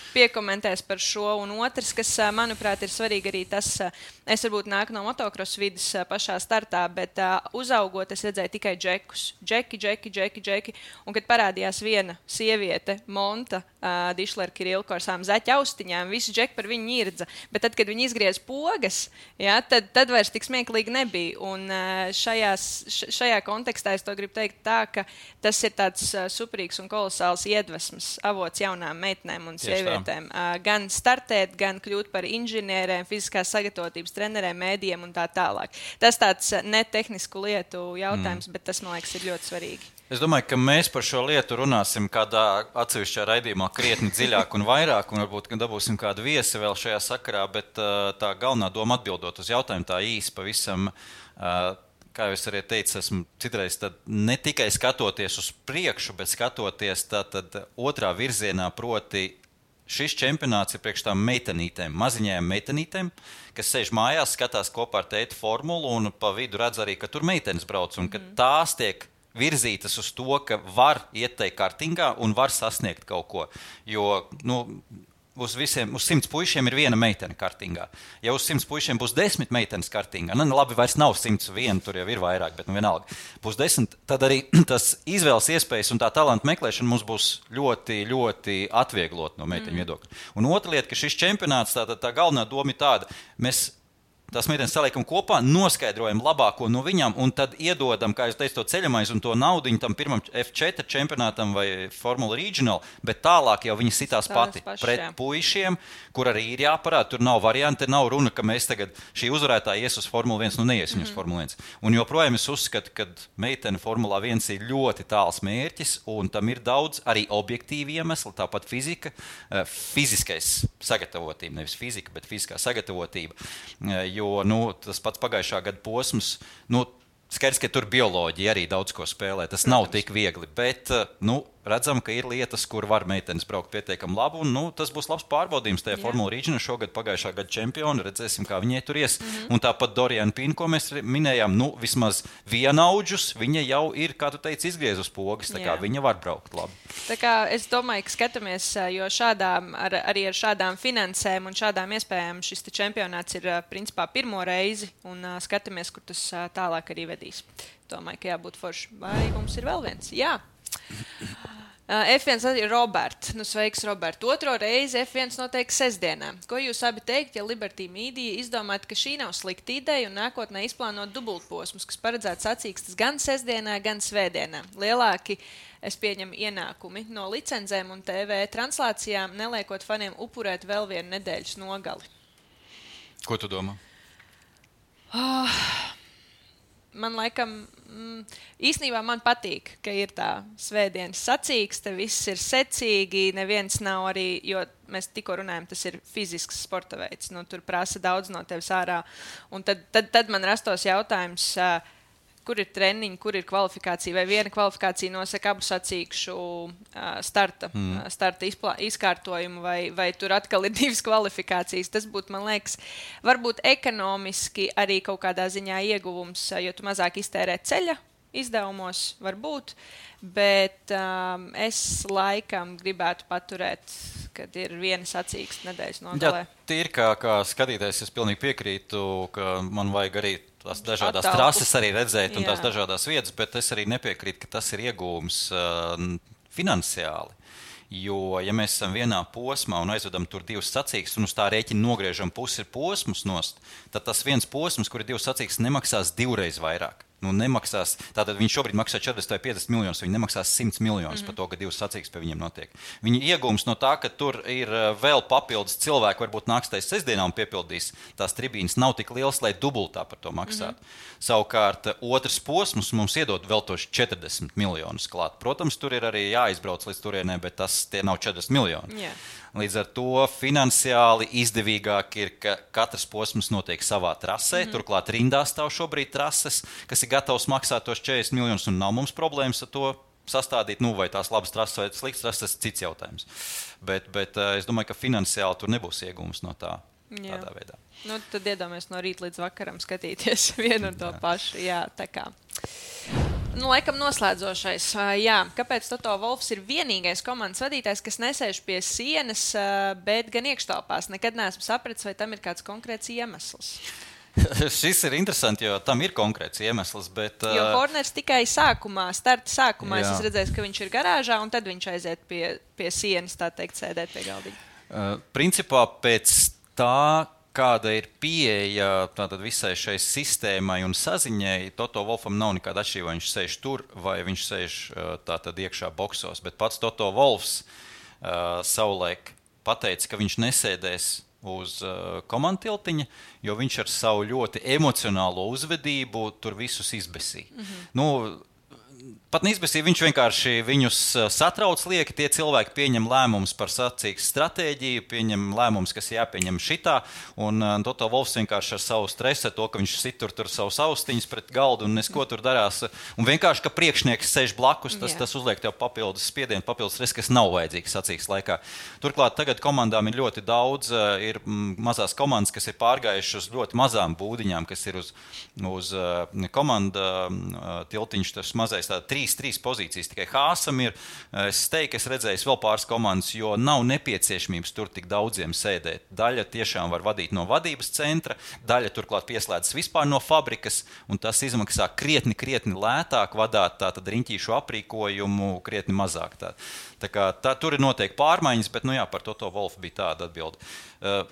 piekomentēs par šo, un otrs, kas, uh, manuprāt, ir svarīgi arī tas, uh, es varbūt nāku no motocross vidas uh, pašā startā, bet uh, uzaugot es redzēju tikai džekus. Džeki, džeki, džeki, džeki. Un kad parādījās viena sieviete, Monta, uh, Dišler Kirilko ar savām zaķa austiņām, visi džeki par viņu irdza. Bet tad, kad viņi izgriez pogas, jā, tad, tad vairs tik smieklīgi nebija. Un uh, šajās, šajā kontekstā es to gribu teikt tā, ka tas ir tāds uh, superīgs un kolosāls iedvesmas avots jaunām meitenēm un sievietēm. Uh, gan startēt, gan kļūt par inženierēm, fiziskās sagatavotības trenerēm, mēdījiem un tā tālāk. Tas tāds uh, netehnisku lietu jautājums, mm. bet tas, man liekas, ir ļoti svarīgi. Es domāju, ka mēs par šo lietu runāsim kādā atsevišķā raidījumā krietni dziļāk un vairāk, un varbūt dabūsim kādu viesi vēl šajā sakarā, bet uh, tā galvenā doma atbildot uz jautājumu tā īsi pavisam... Uh, Kā jau es arī teicu, esmu citreiz tad ne tikai skatoties uz priekšu, bet skatoties tad otrā virzienā, proti šis čempionāts ir priekš tām meitenītēm, maziņajām meitenītēm, kas sēž mājās, skatās kopā ar tēti formulu un pa vidu redz arī, ka tur meitenes brauc un ka tās tiek virzītas uz to, ka var iet tai kartingā un var sasniegt kaut ko. Jo, nu, uz visiem, uz simts puišiem ir viena meitene kartingā. Ja uz simts puišiem būs desmit meitenes kartingā, nu labi, vairs nav simts viena, tur jau ir vairāk, bet nu vienalga. Būs desmit, tad arī tas izvēles iespējas un tā talanta meklēšana mums būs ļoti, ļoti atvieglot no meiteņu mm. viedokļa. Un otra lieta, ka šis čempionāts, tā, tā, tā galvenā doma ir tāda, mēs tās meitenes saliekam kopā, noskaidrojam labāko no viņām un tad iedodam, kā es teicu, to ceļamais un to naudiņu tam pirmam F četri čempionātam vai Formula Regional, bet tālāk jau viņi sitās pati paši, pret jā. puišiem, kur arī ir jāparāda, tur nav varianti, nav runa, ka mēs tagad šī uzvarētāja ies uz Formula viens, nu neiesim mm-hmm. uz Formula viens. Un joprojām es uzskatu, ka meitene Formula viens ir ļoti tāls mērķis un tam ir daudz arī objektīvi iemesli, tāpat fizika, fiziskais sagatavotība, nevis fizika, bet fiziskā sagatavotība. Jo nu, tas pats pagājušā gada posms, nu, skaidrs, ka tur bioloģija arī daudz ko spēlē. Tas Protams. Nav tik viegli, bet nu, redzam, ka ir lietas, kur var meitenes braukt pietiekami labi, un nu, tas būs labs pārbaudījums tajā Formula Regional šogad pagājušā gada čempioni, redzēsim, kā viņai tur ies. Mm-hmm. Un tāpat Doriana Pin, ko mēs minējām, nu, vismaz vienaudžus, viņa jau ir, kā tu teici, izgriezus pogas, tā kā Jā. Viņa var braukt labi. Tā kā es domāju, ka skatāmies, jo šādām, ar, arī ar šādām finansēm un šādām iespējām šis čempionāts ir principā pirmo reizi, un uh, skatāmies, kur tas uh, tālāk arī vedīs. Domāju, ka jābūt forši. Vai mums ir vēl viens? Jā. Uh, F viens ir Robert. Nu, sveiks, Robert. Otro reizi F viens notiek sestdienā. Ko jūs abi teikt, ja Liberty Media izdomātu, ka šī nav slikta ideja un nākotnē izplānot dubultposmus, kas paredzēts sacīkstas gan sestdienā, gan svētdienā? Lielāki, es pieņemu, ienākumi no licencēm un T V translācijām, neliekot faniem upurēt vēl vienu nedēļas nogali. Ko tu domā? Oh. Man laikam, mm, īstenībā man patīk, ka ir tā svētdienas sacīkste, viss ir secīgi, neviens nav arī, jo mēs tikko runājam, tas ir fizisks sporta veids, nu, tur prasa daudz no tevis ārā. Un tad, tad, tad man rastos jautājums, uh, kur ir treniņi, kur ir kvalifikācija, vai viena kvalifikācija nosaka abu sacīkšu uh, starta, mm. starta izplā, izkārtojumu, vai, vai tur atkal ir divas kvalifikācijas. Tas būtu, man liekas, varbūt ekonomiski arī kaut kādā ziņā ieguvums, jo tu mazāk iztērē ceļa izdevumos, varbūt, bet um, es laikam gribētu paturēt, kad ir viena sacīksta nedēļas nogalē. Jā, tīri kā, kā skatītājs, es pilnīgi piekrītu, ka man vajag arī tās dažādās Atalpu. Trases arī redzēt un Jā. Tās dažādās vietas, bet es arī nepiekrītu, ka tas ir iegūms uh, finansiāli. Jo, ja mēs esam vienā posmā un aizvedam tur divas sacīkstas un uz tā rēķina nogriežam pusi posmus nost, tad tas viens posms, kur ir divas sacīkstas, nemaksās divreiz vairāk. Nu, nemaksās, tātad viņš šobrīd maksā četrdesmit vai piecdesmit miljonus, viņi nemaksās simts miljonus mm-hmm. par to, ka divas sacīkstas pie viņiem notiek. Viņa iegūms no tā, ka tur ir vēl papildus cilvēki, varbūt nāks tais sestdienā un piepildīs tās tribīnas, nav tik liels, lai dubultā par to maksātu. Mm-hmm. Savukārt, otrs posms mums iedod vēl tos četrdesmit miljonus klāt. Protams, tur ir arī jāizbrauc līdz turienē, bet tas tie nav četrdesmit miljoni. Yeah. Līdz ar to finansiāli izdevīgāk ir, ka katrs posms notiek savā trasē. Mm-hmm. Turklāt rindā stāv šobrīd trases, kas ir gatavs maksāt tos četrdesmit miljonus un nav mums problēmas ar to sastādīt. Nu, vai tās labas trases vai sliktas trases, tas ir cits jautājums. Bet, bet es domāju, ka finansiāli tur nebūs iegūms no tā. Jā. Tādā veidā. Nu, tad iedomājamies no rīta līdz vakaram skatīties vienu un to Jā. Pašu. Jā, tā kā. Nu, laikam noslēdzošais. Jā, kāpēc Toto Wolffs ir vienīgais komandas vadītājs, kas nesēž pie sienas, bet gan iekštelpās? Nekad neesmu sapratis, vai tam ir kāds konkrēts iemesls. Šis ir interesanti, jo tam ir konkrēts iemesls, bet... Jo Horners tikai sākumā, starta sākumā, jā. Es redzēju, ka viņš ir garāžā, un tad viņš aiziet pie, pie sienas, tā teikt, sēdēt pie galdiņa. Uh, principā pēc tā, kāda ir pieeja tātad visai šai sistēmai un saziņai, Toto Wolffam nav nekāda atšķirība, vai viņš sēž tur, vai viņš sēž tātad iekšā boksos. Bet pats Toto Wolffs uh, savulaik pateica, ka viņš nesēdēs uz uh, komandu tiltiņa, jo viņš ar savu ļoti emocionālo uzvedību tur visus izbesīja. Mm-hmm. Nu, pat neizbēsīja, viņš vienkārši viņus satrauc lieki, tie cilvēki pieņem lēmumus par sacīkstas stratēģiju, pieņem lēmumus, kas jāpieņem šitā, un uh, Toto Wolffs vienkārši ar savu stresu, to, ka viņš sit tur, tur savus austiņus pret galdu un nesko tur darās, un vienkārši, ka priekšnieks sēž blakus, tas, tas uzliek tev papildus spiedienu, papildus stresu, kas nav vajadzīgs sacīkstas laikā. Turklāt tagad komandām ir ļoti daudz, uh, ir mm, mazās komandas, kas ir pārgājušas uz ļoti mazām būdiņām, kas ir uz, uz uh, komanda uh, tiltiņš, tas mazais izvēlēties tādas trīs, trīs pozīcijas. Tikai Hāsam ir, es teiktu, es redzēju vēl pāris komandas, jo nav nepieciešamības tur tik daudziem sēdēt. Daļa tiešām var vadīt no vadības centra, daļa turklāt pieslēdzas vispār no fabrikas, un tas izmaksā krietni, krietni lētāk vadāt tātad riņķīšu aprīkojumu, krietni mazāk. Tā, tā kā tā, tur ir noteikti pārmaiņas, bet, nu jā, par Toto Wolfu bija tāda atbilde.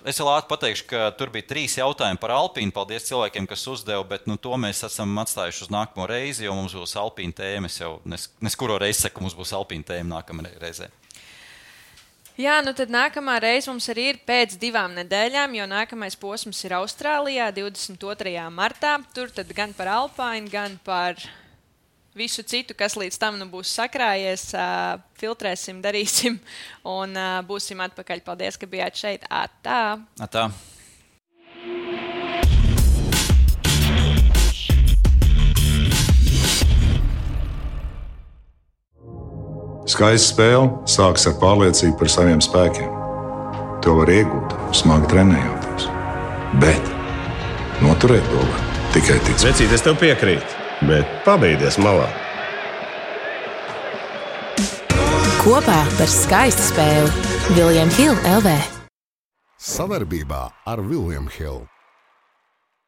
Es vēl ātri pateikšu, ka tur bija trīs jautājumi par Alpīnu. Paldies cilvēkiem, kas uzdeva, bet, nu, to mēs esam atstājuši uz nākamo reizi, jo mums būs Alpīna tēma. Es jau nes, neskuro reizi saku, mums būs Alpīna tēma nākamā reizē. Jā, nu tad nākamā reize mums arī ir pēc divām nedēļām, jo nākamais posms ir Austrālijā, divdesmit otrajā martā. Tur tad gan par Alpīnu, gan par visu citu, kas līdz tam nu būs sakrājies, uh, filtrēsim, darīsim un uh, būsim atpakaļ. Paldies, ka bijāt šeit. Atā! Atā! Skaista spēle sākas ar pārliecību par saviem spēkiem. To var iegūt, smagi trenējoties. Bet noturēt to var tikai ticēt. Vecīt, es tev piekrītu, bet pabeigties malā. Kopā par skaistu spēli William Hill L V. Savarbībā ar William Hill.